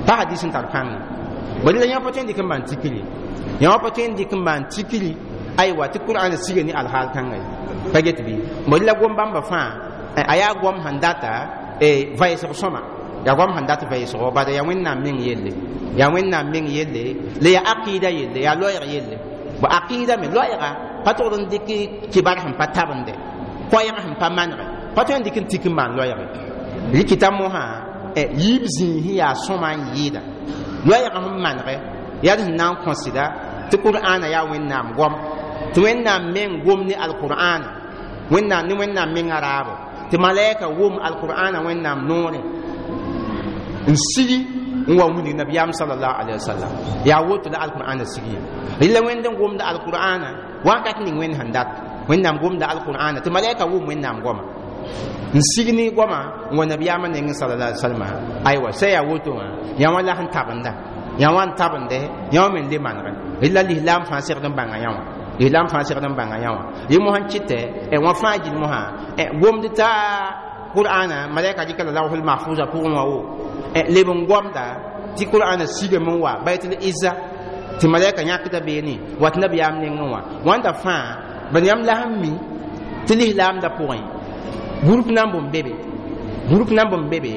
pa hadis n tar pãnga bõe la yã pa tõe n dɩk n maan tikri yã pa tõe n dɩk n maan tikri aywa tɩ qur'an siga ne alhaal kãnga ye pa get bɩ bõe la gom bãmba fãa a yaa gom sẽn data vɛɛsg sõma yaa gom sẽn dat vɛɛsgo bala yaa wẽnnaam meng yelle yaa wẽnnaam meng yelle la yaa aqida yelle yaa loɛɛg yelle bo aqida me loɛɛga pa togd n dɩk kibar sẽn pa tabende koɛɛg sẽn pa manege pa tõe n dɩk n tik n maan loɛɛge rɩkɩta mosã yiib zĩig sẽn yaa sõma n yɩɩda loɛɛg sẽn manege yaa d sẽn na n kõsɩda tɩ qur'ana yaa wẽnnaam goam tɩ wẽnnaam meng gom ne alqur'ana wẽnnaam ne wẽnnaam mengã raabo tɩ malaika wʋm alqur'ana wẽnnaam noorẽ n sigi n wa wilg nabiyaam salallahu alaihi wasallam yaa woto la alqur'ana sigi rɩla wẽnd n gomda alqur'ana wakat ning wẽnd sẽn dat wẽnnaam gomda alqur'ana tɩ malaika wʋm wẽnnaam goama n sig ne goama n wa nabiyaamã nengẽ salallahu alaihi wasallam aywa sã yaa woto wã yã wã la sẽn tabenda yã wã n tabende yã wã me n le manegẽ rɩla lislaam fãa segd n bãnga yã wã lislaam fãa segd n bãnga yã wã yẽ mosã n kɩtɛ wã fãa gill mosã gomd t'a qur'ana malaika dɩka la lawhul mahfuza pʋgẽ wã wo leb n gomda tɩ qur'ana sigame n wa baitul izza tɩ malaika yãkda beene wat nabiyaam nengẽ wã wãnda fãa bad yãmb la sẽn mi tɩ lislaamda pʋgẽ group namb n be be group namb n be be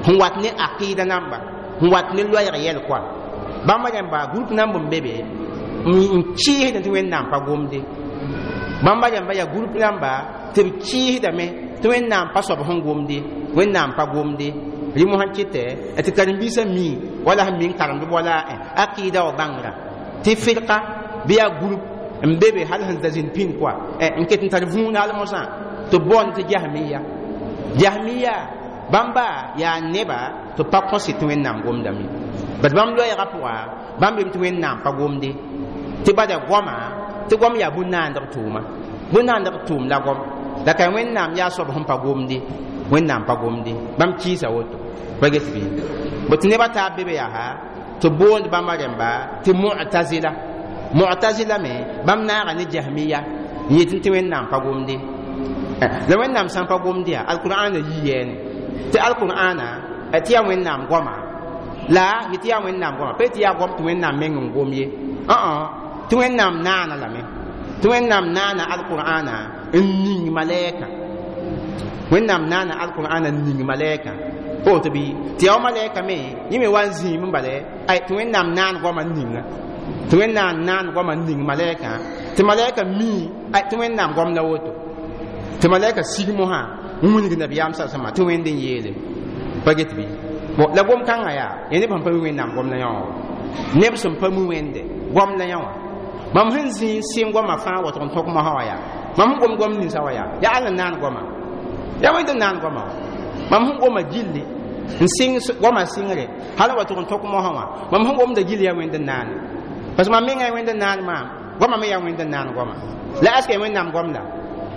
sẽn wat ne aqida namba sẽn wat ne loɛɛg yɛl koa bãmba rẽmba group namb n be be n kɩɩsdẽ tɩ wẽnnaam pa gomde bãmba rẽmba yaa group namba tɩ b kɩɩsdame tɩ wẽnnaam pa soab sẽn gomde wẽnnaam pa gomde rɩ mosã kɩtɛ tɩ karen-biisã mi wala sẽn mi n karemd wala aqida wa bãngrã tɩ firka bɩ yaa group n be be hal sẽn da zĩnd pĩnd koa n ket n tar vũun al mosã tɩ b boond tɩ jahmiya jahmiya bãmba yaa neba tɩ pa kõse tɩ wẽnnaam gomdame bad bãmb loɛɛgã pʋga bãmb bem tɩ wẽnnaam pa gomde tɩ bada goama tɩ goam yaa bũn-naandg tʋʋma bũn-naandg tʋʋm la goam la ka wẽnnaam yaa soab sẽn pa gomde wẽnnaam pa gomde bãmb kɩɩsa woto pa get bɩ bõ tɩ nebã taab be be yaa tɩ boond bãmba rẽmba tɩ mu'tazila mu'tazila me bãmb naaga ne jahmiya n yetɩ tɩ wẽnnaam pa gomde la wẽnnaam sã n pa gomde yaa alqur'ana yi yɛɛne tɩ alqur'ana tɩ yaa wẽnnaam goama la yetɩ yaa wẽnnaam goama pa tɩ yaa goam tɩ wẽnnaam meng n gom ye ã tɩ wẽnnaam naana lame tɩ wẽnnaam naana alqur'ana n ning malɛɛka wẽnnaam naana alqur'ana n ning malɛɛka woto bɩ tɩ yaa wa malɛɛka me yẽ me wa n zĩim n bale ay tɩ wẽnnaam naan goama n ninga tɩ wẽnnaam naan goama n ning malɛɛka tɩ malɛɛka mii ay tɩ wẽnnaam goam la woto tɩ malɛɛka sig mosã n wilg nabiyaam sa sãma tɩ wẽnd n yeele pa get bɩ bon la gom kãngã yaa ya neb sẽn pa mi wẽnnaam gom la yã wã neb sẽn pa mi wẽnde gom la yã wã mam sẽn zĩ n sɩng goamã fãa watg n tõk mosã wã yaa mam sẽn gom gom ninsã wã yaa yaa all n naan goama yaa wẽnd n naan goama wã mam sẽn goma gilli n sɩng goamã sɩngre hal wa tʋg n tõk mosã wã mam sẽn gomda gilli yaa wẽnd n naane parce que mam menga yaa wẽnd n naan maam goamã me yaa wẽnd n naan goama la aska yaa wẽnnaam gom la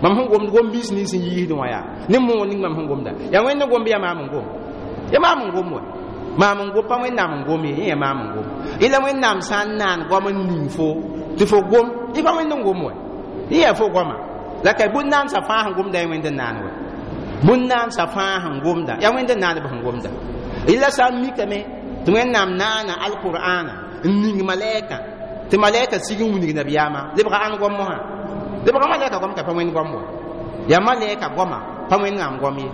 mam sẽn gomd gom biis nins n yiisdẽ wã yaa ne moog ning mam sẽn gomda yaa wẽnd n gom bɩ yaa maam n gom ya maam n gom wa maam n gom pa wẽnnaam n gom ye yẽ yaa maam n gom yẽla wẽnnaam sã n naan goam n ning fo tɩ fo gom yẽ pa wẽnd n gom wa yẽ yaa fo goama la ka bũn-naandsã fãa sẽn gomda yaa wẽnd n naan wa bũn-naandsã fãa sẽn gomda yaa wẽnd n naanb sẽn gomda yẽla sã n mikame tɩ wẽnnaam naana alqur'ana n ning malɛɛka tɩ malɛɛka sig n wilg nabiyaamã lebga ãn goam mosã lebga malɛɛka goam ka pa wẽnd goam wa yaa malɛɛka goama pa wẽnnaam goam ye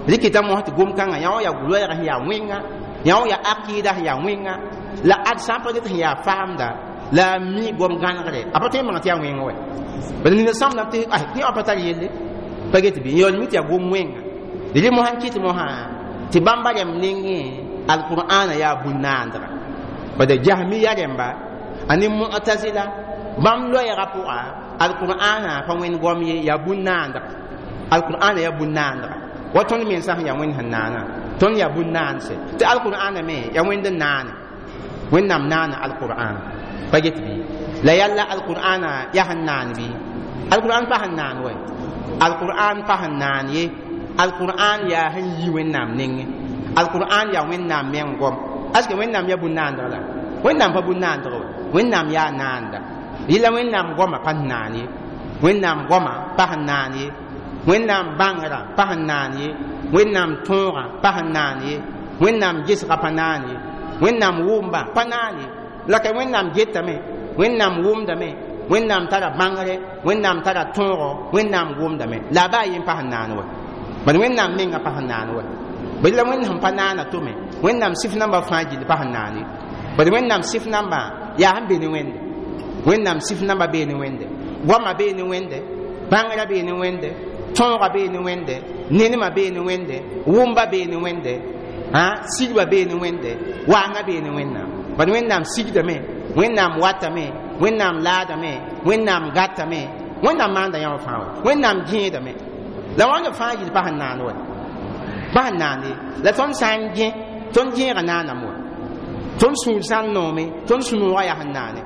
rɩkɩta mosã tɩ gom kãngã yã wã yaa loɛɛg sẽn yaa wẽnga yã wã yaa aqida sẽn yaa wẽnga la ad sã n pa get sẽn yaa faamda la a mi gom gãnegre a pa tõe n bãng tɩ yaa wẽng wɛ bala nina sãmdame tɩ tɩ yã pa tar yelle pa get bɩ n yaool mi tɩ yaa gom wẽnga rɩ mosã n kɩt mosã tɩ bãmba rẽmb nengẽ alqur'ana yaa bũn-naandga bada jahmiya rẽmba a ne mu'tazila bãmb loɛɛgã pʋga alqur'ana pa wẽnd goam ye yaa bũn-naandga alqur'ana yaa bũn-naandga Wa tõnd mensã sẽn yaa Wẽnd sẽn naana, tõnd yaa bũn-naanse tɩ alqur'ana me yaa Wẽnd n naane. Wẽnnaam naana alqur'an pa get bɩ? La yalla alqur'ana yaa sẽn naan bɩ? Alqur'an pa sẽn naan wɛ, alqur'an pa sẽn naan ye. Alqur'an yaa sẽn yi Wẽnnaam nengẽ. Alqur'an yaa Wẽnnaam meng goam. Aske Wẽnnaam yaa bũn-naandg la? Wẽnnaam pa bũn-naandg wa, Wẽnnaam yaa naanda. Yɩla Wẽnnaam goamã pa sẽn naan ye, Wẽnnaam goamã pa sẽn naan ye, Wẽnnaam bãngrã pa sẽn naan ye, Wẽnnaam tõogã pa sẽn naan ye, Wẽnnaam gesgã pa naan ye, Wẽnnaam wʋmba pa naan ye. La ka Wẽnnaam getame, Wẽnnaam wʋmdame, Wẽnnaam tara bãngre, Wẽnnaam tara tõogo, Wẽnnaam wʋmdame. La a baa yen pa sẽn naan wa, bad Wẽnnaam mengã pa sẽn naan wa. Bad la Wẽnd sẽn pa naana to me, Wẽnnaam sɩf nambã fãa gill pa sẽn naan ye. Bad Wẽnnaam sɩf nambã yaa sẽn be ne Wẽnde. Wẽnnaam sɩf nambã bee ne Wẽnde, goamã bee ne Wẽnde, bãngrã bee ne Wẽnde, tõogã bee ne Wẽnde, nenemã bee ne Wẽnde, wʋmba bee ne Wẽnde, sigba bee ne Wẽnde, waangã bee ne Wẽnnaam. Bad Wẽnnaam sigdame, Wẽnnaam watame, Wẽnnaam laadame, Wẽnnaam gatame, Wẽnnaam maanda yãmb fãa wa, Wẽnnaam gẽedame. La wãnd fãa yɩl pa sẽn naan wa, pa sẽn naan ye. La tõnd sã n gẽ, tõnd gẽega naaname wa. Tõnd sũur sã n noome, tõnd sũ-noogã yaa sẽn naane.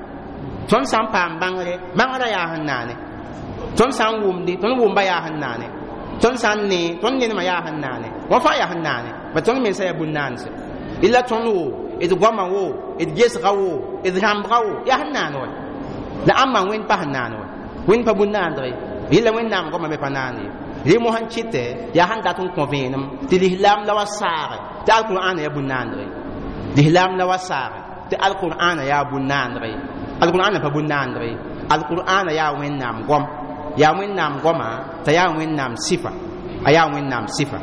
Tõnd sã n paam bãngre, bãngrã yaa sẽn naane. Tõnd sã n wʋmde, tõnd wʋmba yaa sẽn naane. Tõnd sã n nee, tõnd nenemã yaa sẽn naane. Wã fãa yaa sẽn naane. Ba tõnd mensã yaa bũn-naanse. Illa tõnd wo, d goamã wo, d gesga wo, d rãmbga wo, yaa sẽn naan wa. La ãmba Wẽnd pa sẽn naan wa. Wẽnd pa bũn-naandg ye. Yɩla Wẽnnaam goamã me pa naan ye. Rẽ mosã n kɩtɛ yaa sẽn dat n kõ vẽenem tɩ lislaam la wa saage tɩ alqur'ana yaa bũn-naandg ye. Lislaam la wa saage tɩ alqur'ana yaa bũn-naandg ye. Alqur'ana pa bũn-naandg ye. Alqur'ana yaa Wẽnnaam goam. Yaa Wẽnnaam goamã t'a yaa Wẽnnaam sɩfa. A yaa Wẽnnaam sɩfa.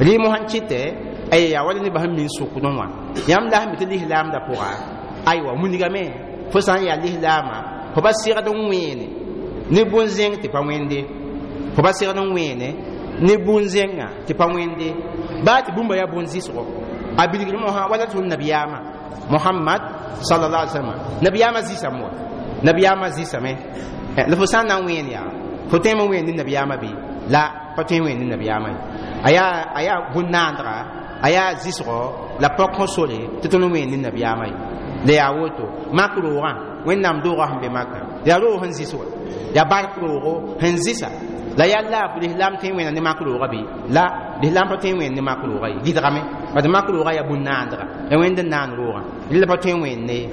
Rẽ mosã n kɩtɛ ay yaa wala nebã sẽn min sʋkdẽ wã. Yãmb la sẽn mi tɩ lislaamdã pʋga aywa wilgame fo sã n yaa lislaamã, fo pa segd n wẽene ne bũn-zẽng tɩ pa wẽnde. Fo pa segd n wẽene ne bũn-zẽngã tɩ pa wẽnde. Baa tɩ bũmba yaa bũn-zɩsgo. A bilgr mosã wala tʋm nabiyaamã Mohamad sallallahu alaihi wasallam. Nabiyaamã zɩsame wa, nabiyaamã zɩsame. La fo sã n na n wẽen yaa, fo tõe n wẽen ne nabiyaamã bɩ? La pa tõe n wẽen ne nabiyaamã ye. A yaa a yaa bũn-naandga, a yaa zɩsgo la pɔk sõ sore tɩ tõnd wẽen ne nabiyaamã ye. La yaa woto mak roogã, Wẽnnaam doogã sẽn be Makã yaa roog sẽn zɩs wa, yaa bark roogo sẽn zɩsa. La yalla lislaam tõe n wẽna ne mak roogã bɩ? La lislaam pa tõe n wẽen ne mak roogã ye, gɩdgame. Bad mak roogã yaa bũn-naandga, yaa Wẽnd n naan roogã, rɩla pa tõe n wẽen ne.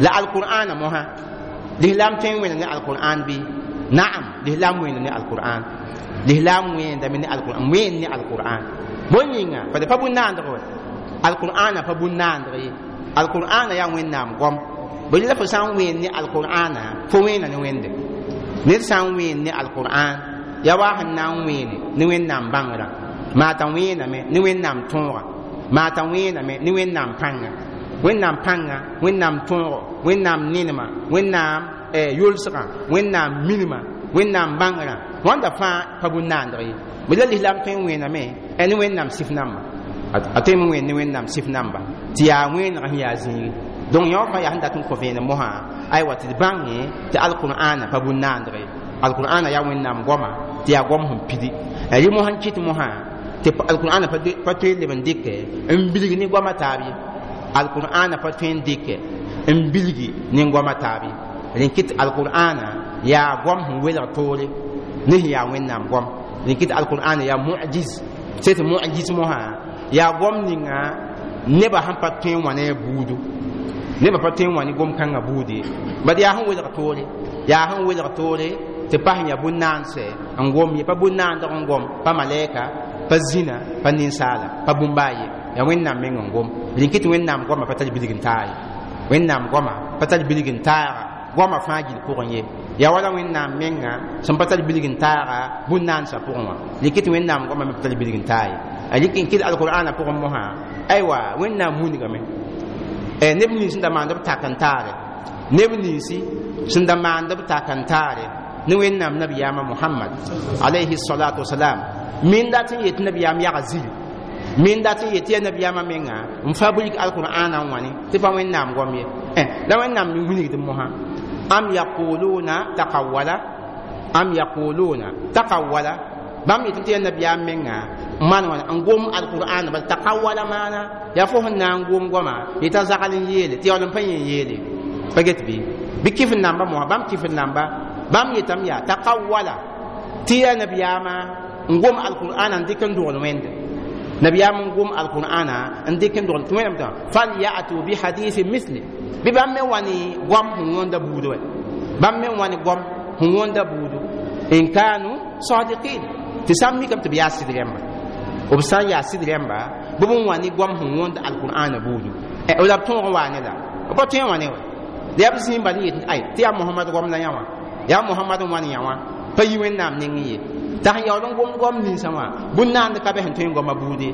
La alqur'ana mosã, lislaam tõe n wẽna ne alqur'an bɩ? Naam, lislaam wẽena ne alqur'an. Lislaam wẽendame ne alqur'an, wẽen ne alqur'an. Bõe yĩnga? Bad pa bũn-naandg wa. Alqur'ana pa bũn-naandg ye. Alqur'ana yaa Wẽnnaam goam. Bõe la fo sã n wẽen ne alqur'ana, fo wẽena ne Wẽnde. Ned sã n wẽen ne alqur'an, yaa wa sẽn na n wẽene ne Wẽnnaam bãngrã, maa t'a wẽename ne Wẽnnaam tõogã, maa t'a wẽename ne Wẽnnaam pãnga. Wẽnnaam pãnga, Wẽnnaam tõogo, Wẽnnaam nenemã, Wẽnnaam yolsgã, Wẽnnaam minimã, Wẽnnaam bãngrã, wãnda fãa pa bũn-naandg ye. Bõe la lislaam tõe n wẽename ne Wẽnnaam sɩf namba. A tõe n wẽen ne Wẽnnaam sɩf namba tɩ yaa wẽenegã sẽn yaa zĩigi. Donc yõ fãa yaa sẽn dat n kõ vẽenem mosã aywa tɩ d bãnge tɩ alqur'ana pa bũn-naandg ye. Alqur'ana yaa Wẽnnaam goamã tɩ yaa goam sẽn pidi. Rẽ mosã n kɩt mosã tɩ alqur'ana pa tõe n leb n dɩkɛ n bilg ne goamã taab ye. Alqur'ana pa tõe n dɩkɛ n bilgi ne goamã taab ye. Rẽ kɩt alqur'ana yaa goam sẽn welg toore ne sẽn yaa Wẽnnaam goam. Rẽ kɩt alqur'ana yaa mu'jiz. Sẽn tɩ mu'jiz mosã yaa goam ninga nebã sẽn pa tõe n wã ne a buudu. Nebã pa tõe n wã ne gom-kãngã buud ye. Bad yaa sẽn welg toore, yaa sẽn welg toore tɩ pa sẽn yaa bũn-naandsɛ n gom ye, pa bũn-naandg n gom, pa malɛka, pa zĩna, pa ninsaala, pa bũmba ye. Yaa Wẽnnaam meng n gom. Rẽ kɩ tɩ Wẽnnaam goamã pa tar bilg n taag ye. Wẽnnaam goamã pa tar bilg n taaga goamã fãa gill pʋgẽ ye. Yaa wala Wẽnnaam menga sẽn pa tar bilg n taaga bũn-naandsã pʋgẽ wã. Rẽ kɩ tɩ Wẽnnaam goamã me pa tar bilg n taag ye. A rɩk n kɩt alqur'ana pʋgẽ mosã aywa Wẽnnaam wilgame. Neb nins sẽn da maand b tak n taare, neb ninsi sẽn da maand b tak n taare ne Wẽnnaam nabiyaamã Mohamad alayhi salatu wasalam. Min dat n yet nabiyaam yaga ziri, min dat n yet yaa nabiyaamã menga n fabrik alqur'ana n wãne tɩ pa Wẽnnaam goam ye. La Wẽnnaam me wilgd mosã am yaquluna taqawwala, am yaquluna taqawwala. Bãmb yetame tɩ yaa nabiyaam menga n maan wãna n gom alqur'an bal taqawala maana yaa fo sẽn na n gom goama yeta zagl n yeele tɩ yaool n pa yẽ n yeele pa get bɩ bɩ kɩf n namba mosã bãmb kɩf n namba bãmb yetame yaa taqawala tɩ yaa nabiyaamã n gom alqur'ana n dɩk n dogl wẽnde nabiyaam n gom alqur'ana n dɩk n dogl tɩ wẽnnaam tã falyatu bihadithin misli bɩ bãmb me wa ne goam sẽn wõnda buud wɛ bãmb me wa ne goam sẽn wõnda buudu in kanu sadiqin tɩ sã n mikame tɩ b yaa sɩd rẽmba b sã n yaa sɩd rẽmba bɩ b n wa ne goam sẽn wõnd alqur'ana buudu la b tõog n waa ne la b pa tõe n wã ne wɛ la yaa b zĩig bal n yet ay tɩ yaa mohamad goam la yã wã yaa mohamad n wa ne yã wã pa yi wẽnnaam nengẽ ye t'a sẽn yaool n gomd goam ninsã wã bũn-naand ka be sẽn tõe n goama buude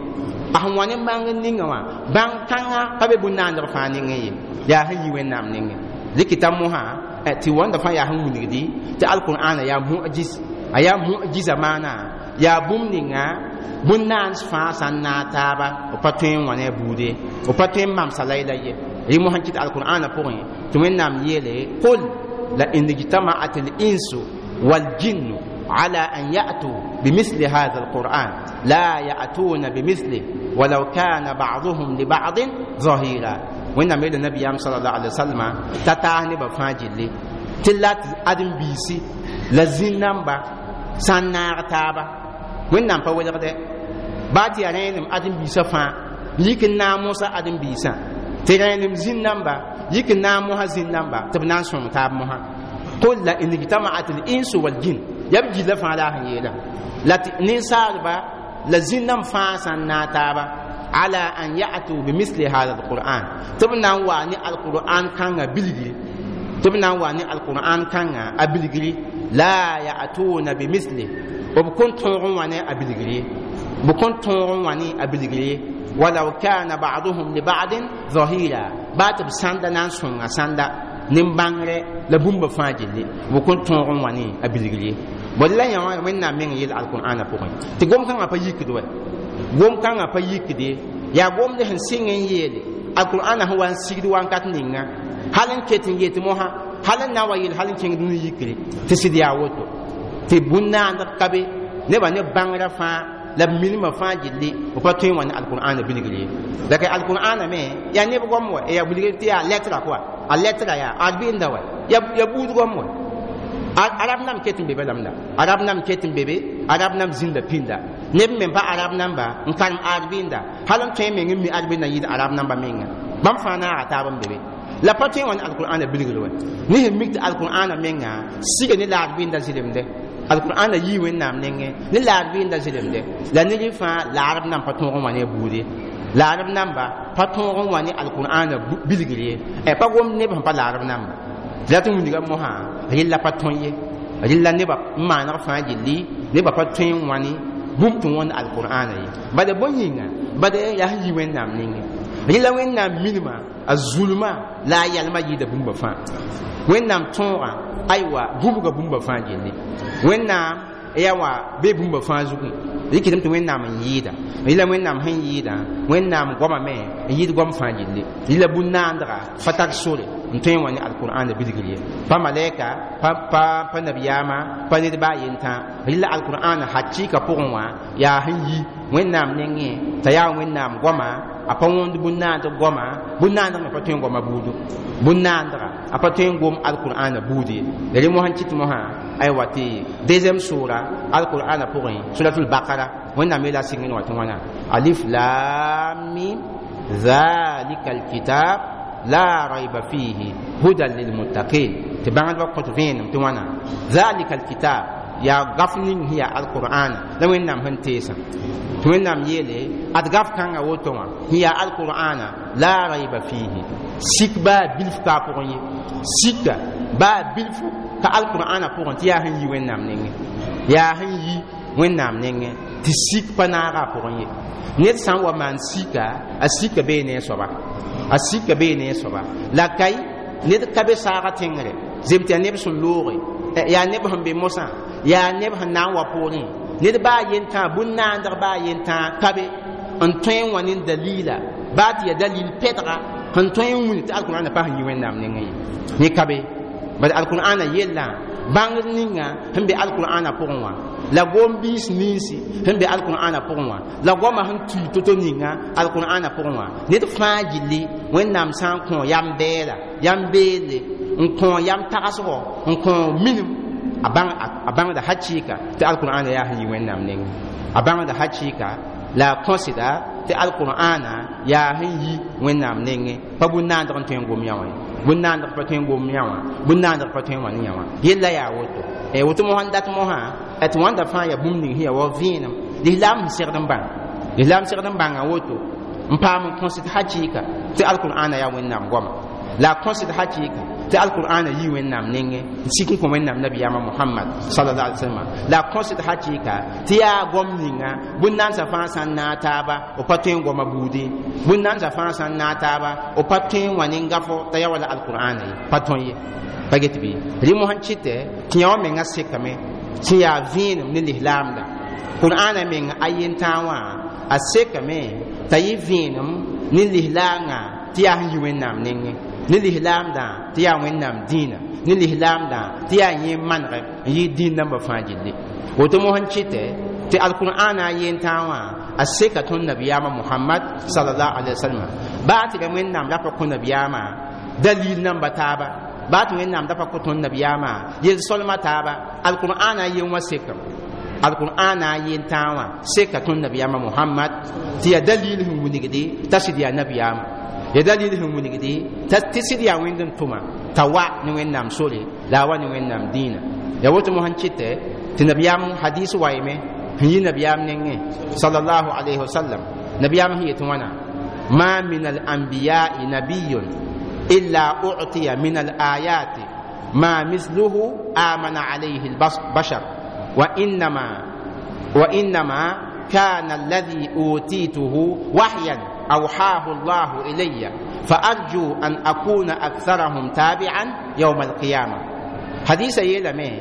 a sẽn wa ne bãng n ninga wã bãng kãngã pa be bũn-naandg fãa nengẽ ye yaa sẽn yi wẽnnaam nengẽ rɩkɩta mosã tɩ wãnda fãa yaa sẽn wilgdi tɩ alqur'ana yaa mujiz a yaa mujiza maana yaa bũmb ninga bũn-naans fãa sã n naag taaba b pa tõe n wã ne a buude b pa tõe n mamsa layla ye rɩ mosã kɩt alqur'ana pʋgẽ tɩ wẽnnaam yeele qul la in ijtamaat al-insu waljinnu على أن يأتوا بمثل هذا القرآن لا يأتون بمثله ولو كان بعضهم لبعض ظهيرا وإن ميل النبي صلى الله عليه وسلم تتاهني بفاجل تلات أدم بيسي لزين نمبا سنار تابا وإن نمبا ولغد باتي أرينم أدم بيسا فا لكن ناموسا أدم بيسا ترينم زين نمبا لكن ناموها زين نمبا تبنان سوم تاب موها قل لئن اجتمعت الإنس والجن ya b gilla fãa la a sẽn yeela la tɩ ninsaalba la zĩnnam fãa sã n naag taaba ala an ya'tu bimisli hada alquran tɩ b na n wa ne alquran kãngã bilgri tɩ b na n wa ne alquran kãngã a bilgri la ya'tuna bimisli b kõn tõog n wa ne a bilgri ye b kõn tõog n wa ne a bilgri ye walaw kana ba'duhum li ba'din zahira baa tɩ b sãnda na n sõnga sãnda nin-bãngre la bũmba fãa gilli b kõn tõog n wa ne a bilgri ye bõe la yã wã wẽnnaam meng yeel alqur'ana pʋgẽ tɩ gom-kãngã pa yikd wɛ gom-kãngã pa yikde yaa gomd sẽn sɩng n yeele alqur'ana sẽn wa n sigd wankat ninga hal n ket n yet mosã hal n na n wa yeel hal n kẽngd ne yikre tɩ sɩd yaa woto tɩ bũn-naandg ka be nebã ne bãngrã fãa la b milmã fãa gilli b pa tõe n wa ne alqur'ana bilgr ye la ka alqur'ana me yaa neb goam wa yaa bilgr tɩ yaa lɛtra kɔa a lɛtra yaa arbɩnda wa yaa buud goam wa arab nam ket n be balamda arab nam ket n be be arab nam zĩnda pĩnda neb me pa arab namba n karem arbɩnda hal n tõe meng n mi arbɩnda n yɩɩd arab namba menga bãmb fãa naaga taab n be be la pa tõe n wa ne alqur'ana bilgr wɛ ne sẽn mik tɩ alqur'ana menga siga ne la arbɩnda zɩlemde alqur'ana yii wẽnnaam nengẽ ne la arbɩnda zɩlemde la ned fãa laarb nan pa tõog n wa ne a buude laarb namba pa tõog n wa ne alqur'ana bilgr ye pa gomd neb sẽn pa laarb namba tɩ la tɩ wilga mosã rɩlla pa tõe ye rɩlla nebã n maaneg fãa gilli nebã pa tõe n wã ne bũmb tɩ wõnd alqur'ana ye bala bõe yĩnga bala yaa sẽn yi wẽnnaam nengẽ rɩla wẽnnaam milma a zulma la a yalma yɩɩda bũmba fãa wẽnnaam tõogã aywa gũbga bũmba fãa gilli wẽnnaam yaa wã bee bũmba fãa zugẽ rɩkɩdame tɩ wẽnnaam n yɩɩda rɩla wẽnnaam sẽn yɩɩda wẽnnaam goama me n yɩɩd goam fãa gilli rɩla bũn-naandga pa tar sore n tõe n wa ne alqur'ana bilgr ye pa malɛka pa pa pa nabiyaamã pa ned baa yentã rɩla alqur'ana hakɩɩka pʋgẽ wã yaa sẽn yi wẽnnaam nengẽ t'a yaa wẽnnaam goama a pa wõnd bũn-naandg goama bũn-naandg me pa tõe n goama buudu bũn-naandga a pa tõe n gom alqur'ana buud ye la rẽ mosã n kɩt mosã aywa tɩ deuxième sura alqur'ana pʋgẽ suratul baqara wẽnnaam yeela a sɩng n wa tɩ wãna alif lam mim ذلك الكتاب لا ريب فيه هدى للمتقين tɩ bãngdbã kõt vẽenem tɩ wãna ذلك الكتاب yaa gaf ning sẽn yaa alqur'ana la wẽnnaam sẽn teesã tɩ wẽnnaam yeele ad gaf kãngã woto wã sẽn yaa alqur'ana la rayba fihi sik baa bilf ka a pʋgẽ ye sika baa bilfu ka alqur'ana pʋgẽ tɩ yaa sẽn yi wẽnnaam nengẽ yaa sẽn yi wẽnnaam nengẽ tɩ sik pa naaga a pʋgẽ ye ned sã n wa maan sika a sika bee ne a soaba a sika bee ne a soaba la kai ned ka be saaga tẽngre zem tɩ yaa neb sẽn looge yaa neb sẽn be mosã yaa neb sẽn na n wa poorẽ ned baa yentã bũn-naandg baa yentã ka be n tõe n wa ne dalila baa tɩ yaa dalil pɛdga sẽn tõe n wilg tɩ alqur'ana pa sẽn yi wẽnnaam nengẽ ye yẽ ka be bala alqur'ana yellã Bãngd ninga sẽn be alqur'ana pʋgẽ wã la gom-biis ninsi sẽn be alqur'ana pʋgẽ wã la goamã sẽn tui to-to ninga alqur'ana pʋgẽ wã ned fãa gilli Wẽnnaam sã n kõ yam bɛɛla yam beelle n kõ yam tagsgɔ n kõ minim a bãngda hakɩɩka tɩ alqur'ana yaa sẽn yi Wẽnnaam nengẽ a bãngda hakɩɩka la a kõsda tɩ alqur'ana yaa sẽn yi Wẽnnaam nengẽ pa bũn-naandg n tõe n gom yã wã ye bũn-naandg pa tõe n gom yã wã bũn-naandg pa tõe n wã ne yã wã yella yaa woto woto mosã n dat mosã tɩ wãnda fãa yaa bũmb ning sẽn yaa wa vẽenem lislaam sẽn segd n bãng lislaam segd n bãnga woto n paam n kõsd hakɩɩka tɩ alqur'ana yaa Wẽnnaam goama la a kõsd hakɩɩka tɩ alqur'ana yi Wẽnnaam nengẽ n sik n kõ Wẽnnaam nabiyaamã Mohamad sallallahu alaihi wasallam la a kõsd hakɩɩka tɩ yaa goam ninga bũn-nansã fãa sã n naag taaba b pa tõe n goama buudi bũn-nansã fãa sã n naag taaba b pa tõe n wã ne gafo t'a yaa wala alqur'ana ye pa tõe ye pa get bɩ rɩ mosã n kɩtɛ tɩ yã wã mengã sekame sẽn yaa vẽenem ne lislaamda qur'ana meng a yentãag wã a sekame t'a yɩ vẽenem ne lislaangã tɩ yaa sẽn yi Wẽnnaam nengẽ ne lislaamdã tɩ yaa Wẽnnaam dĩinã ne lislaamdã tɩ yaa yẽ manegɛ n yɩ dĩin nambã fãa gilli woto mosã n kɩtɛ tɩ alqur'ana a yentãag wã a seka tõnd nabiyaamã Mohamad sallallahu alaihi wasallam baa tɩ ra Wẽnnaam ra pa kõ nabiyaamã dalil namba taaba baa tɩ Wẽnnaam da pa kõ tõnd nabiyaamã yel-solmã taaba alqur'ana yen wã sekame alqur'ana yentãag wã seka tõnd nabiyaamã Mohamad tɩ yaa dalil sẽn wilgde t'a sɩd yaa nabiyaamã ya dalil sẽn wilgde tɩ sɩd yaa Wẽnd n tʋma t'a wa ne Wẽnnaam sore la a wa ne Wẽnnaam dĩinã ya woto mosã n kɩtɛ tɩ nabiyaam hadis wayme sẽn yi nabiyaam nengẽ sallallahu alayhi wasallam nabiyaam sẽn yetɩ wãna ma min al-anbiya'i nabiyyun illa u'tiya min al-ayati ma misluhu amana alayhi al-bashar wa innama wa innama kana alladhi utituhu wahyan أوحاه الله إلي فأرجو أن أكون أكثرهم تابعا يوم القيامة حديث يلمي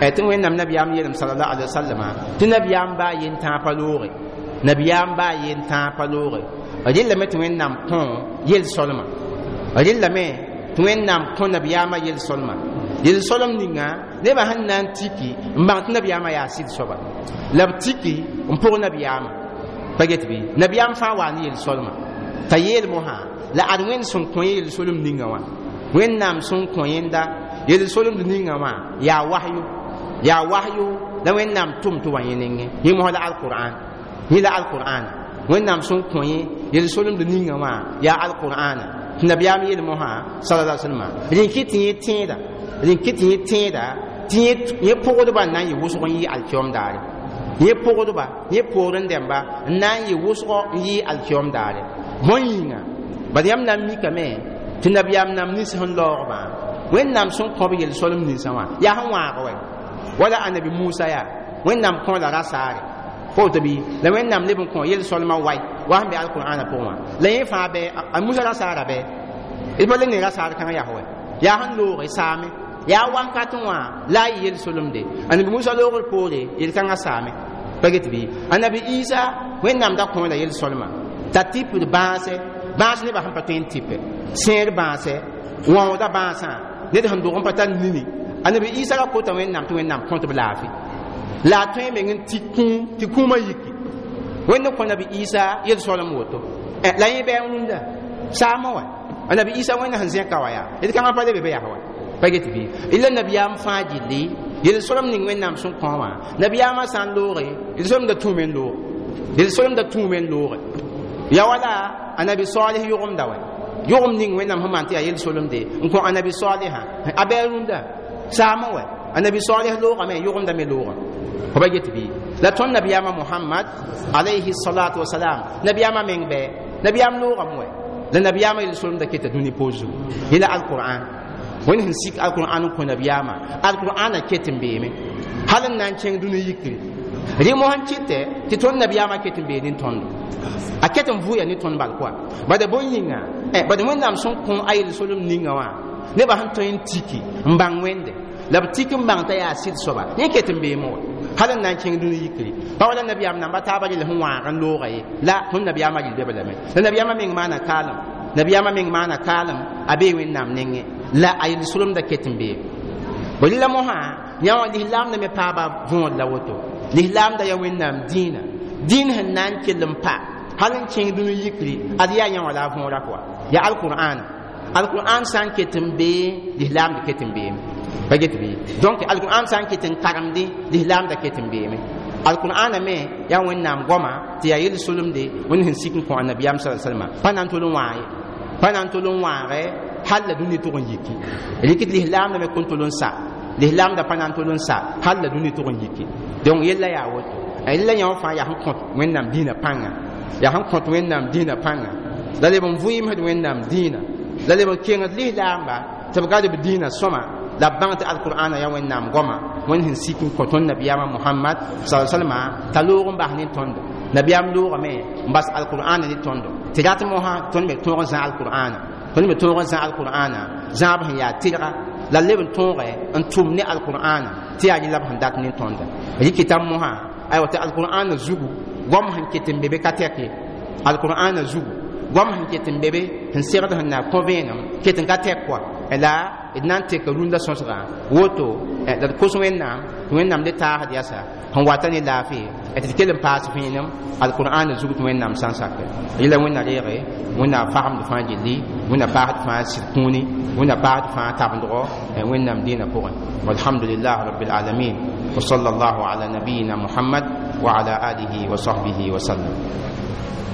tɩ Wẽnnaam nabiyaam yeelame sallallahu alaihi wasallam tɩ nabiyaam baa yen-tãag pa looge nabiyaam baa yen-tãag pa looge rɩllame tɩ Wẽnnaam kõ yel-solma rɩllame tɩ Wẽnnaam kõ nabiyaamã yel-solma yel-solem ninga nebã sẽn na n tiki n bãng tɩ nabiyaamã yaa sɩd soaba la b tiki n pʋg nabiyaamã pa get bɩ nabiyaam fãa waa ne yel-solma t'a yeel mosã la ad Wẽnd sẽn kõ yel-solem ninga wã Wẽnnaam sẽn kõ yẽnda yel-solemd ninga wã yaa wahyu yaa wahyu la Wẽnnaam tʋm tɩ wa yẽ nengẽ yẽ mosã la alqur'an yẽ la alqur'an Wẽnnaam sẽn kõ yẽ yel-solemd ninga wã yaa alqur'ana tɩ nabiyaam yeel mosã sallallahu alaihi wasallam rẽn kɩ tɩ yẽ tẽeda rẽn kɩ tɩ yẽ tẽeda tɩ yẽ pʋgdbã n na n yɩ wʋsg n yɩ alkiom daare yẽ pʋgdba yẽ poorẽ dẽmba n na n yɩ wʋsgɔ n yɩ alkiom daare bõn yĩnga bad yãmb na n mikame tɩ nabiyaam nam nins sẽn laogbã Wẽnnaam sẽn kõb yel-solem ninsã wã yaa sẽn wãag wɛ wala anabi Musa yaa Wẽnnaam kõ la rasaare woto bɩ la Wẽnnaam leb n kõ yel-solmã wai wa sẽn be alqur'ana pʋgẽ wã la yẽ fãa bɛ a Musa rasaara bɛ d pa le ne rasaar kãngã yaa wɛ yaa sẽn looge saame yaa wakat wã la a yɩ yel-solemde anabi Musa loogr poore yel-kãngã saame pa get bɩ anabi Isa Wẽnnaam da kõ la yel-solmã t'a tɩpd bãase bãas nebã sẽn pa tõe n tɩpɛ sẽer bãasɛ wãoodã bãasã ned sẽn dog n pa tar nini anabi Isa ra kota Wẽnnaam tɩ Wẽnnaam kõt b laafɩ la a tõe meng n tɩ kũum tɩ kũumã yiki Wẽnd n kõ nabi Isa yel-solem woto la yẽ bɩ n rũndã saamã wa anabi Isa Wẽnd sẽn zẽka wa yaa d kãngã pa le be be yaa wa pa get bɩ ila nabiyaam fãa gilli yel-solem ning Wẽnnaam sẽn kõ wã nabiyaamã sã n looge yel-solemda tũume n looge yel-solemda tũume n looge ya wala anabi Salih yʋgemda wa yʋgem ning Wẽnnaam sẽn maan tɩ yaa yel-solemde n kõ anabi Salihã a bɩ a rũndã saamã wa anabi Salih loogame yʋgemda me looga fo pa get bɩ la tõnd nabiyaamã Mohamad alayhi salatu wasalam nabiyaamã meng bɛ nabiyaam loogame wɛ la nabiyaamã yel-solemda keta dũni poor zugu yẽ la alqur'an Wẽnd sẽn sik alqur'an n kõ nabiyaamã alqur'ana ket n beeme hal n na n kẽng dũni yikri rɩ mosã n kɩtɛ tɩ tõnd nabiyaamã ket n bee ne tõndo a ket n vʋʋya ne tõnd bal koa bada bõn yĩnga bad Wẽnnaam sẽn kõ a yel-solem ninga wã nebã sẽn tõe n tiki n bãng Wẽnde la b tik n bãng t'a yaa sɩd soaba yẽ ket n beeme wa hal n na n kẽng dũni yikri pa wala nabiyaam namba taabã rel sẽn wãag n looga ye la tõnd nabiyaamã rɩl be lame la nabiyaamã meng maana kaalem nabiyaamã meng maana kaalem a bee Wẽnnaam nengẽ la a yel-solemda ket n beeme Rɩla mosã yã wã lislaamda me paaba võor la woto. Lislaamda yaa Wẽnnaam dĩinã, dĩin sẽn na n kell n pa hal n kẽng dũni yikri, ad yaa yã wã la a võora pʋga yaa alqur'ana. Alqur'an sã n ket n bee, lislaamda ket n beeme pa get bɩ. Donc alqur'an sã n ket n karemdẽ, lislaamda ket n beeme. Alqur'ana me yaa Wẽnnaam goama tɩ yaa yel-solemde Wẽnd sẽn sik n kõ annabiyaam sa salma, pa na n tol n wãag ye, pa na n tol n wãage hal la dũni tʋg n yiki. Rɩk lislaamda me kõn tol n sa, lislaamda pa na n tol n sa hal la dũni tʋg n yiki. Donc yella yaa woto. Yella yã wã fãa yaa sẽn kõt Wẽnnaam dĩinã pãnga, yaa sẽn kõt Wẽnnaam dĩinã pãnga, la leb n vʋɩɩmsd Wẽnnaam dĩinã, la leb n kengd lislaamba tɩ b gad b dĩinã sõma, la b bãng tɩ alqur'ana yaa Wẽnnaam goama Wẽnd sẽn sik n kõ tõnd nabiyaamã Mohamad sa salma t'a loog n bas ne tõndo. Nabiyaam loogame n bas alqur'ana ne tõndo, tɩ rat mosã tõnd me tõog n zã alqur'ana, tõnd me tõog n zã alqur'ana zãab sẽn yaa tɩrga, la leb n tõoge n tʋm ne alqur'ana tɩ yaa rɩla b sẽn dat ne tõnda. Rɩkɩta mosã aywa tɩ alqur'ana zugu goam sẽn ket n be be ka tɛk ye, alqur'ana zugu goam sẽn ket n be be sẽn segd sẽn na kõ vẽenem ket n ka tɛk kɔa, la d na n teka rũndã sõsgã woto, la d kos Wẽnnaam tɩ Wẽnnaam le taasd yasa sẽn wata ne laafɩ tɩ d kell n paas vẽenem alqur'ana zug tɩ Wẽnnaam sã n sakɛ. Yẽla Wẽnna reege, Wẽnna fagemd fãa gilli, Wẽnna paasd fãa sɩd kũuni, Wẽnna paasd fãa tabendgo Wẽnnaam dĩinã pʋgẽ. Walhamdulillah rabbil alamin wa sallallahu ala nabiyina Muhammad wa ala alihi wa sahbihi wa sallam.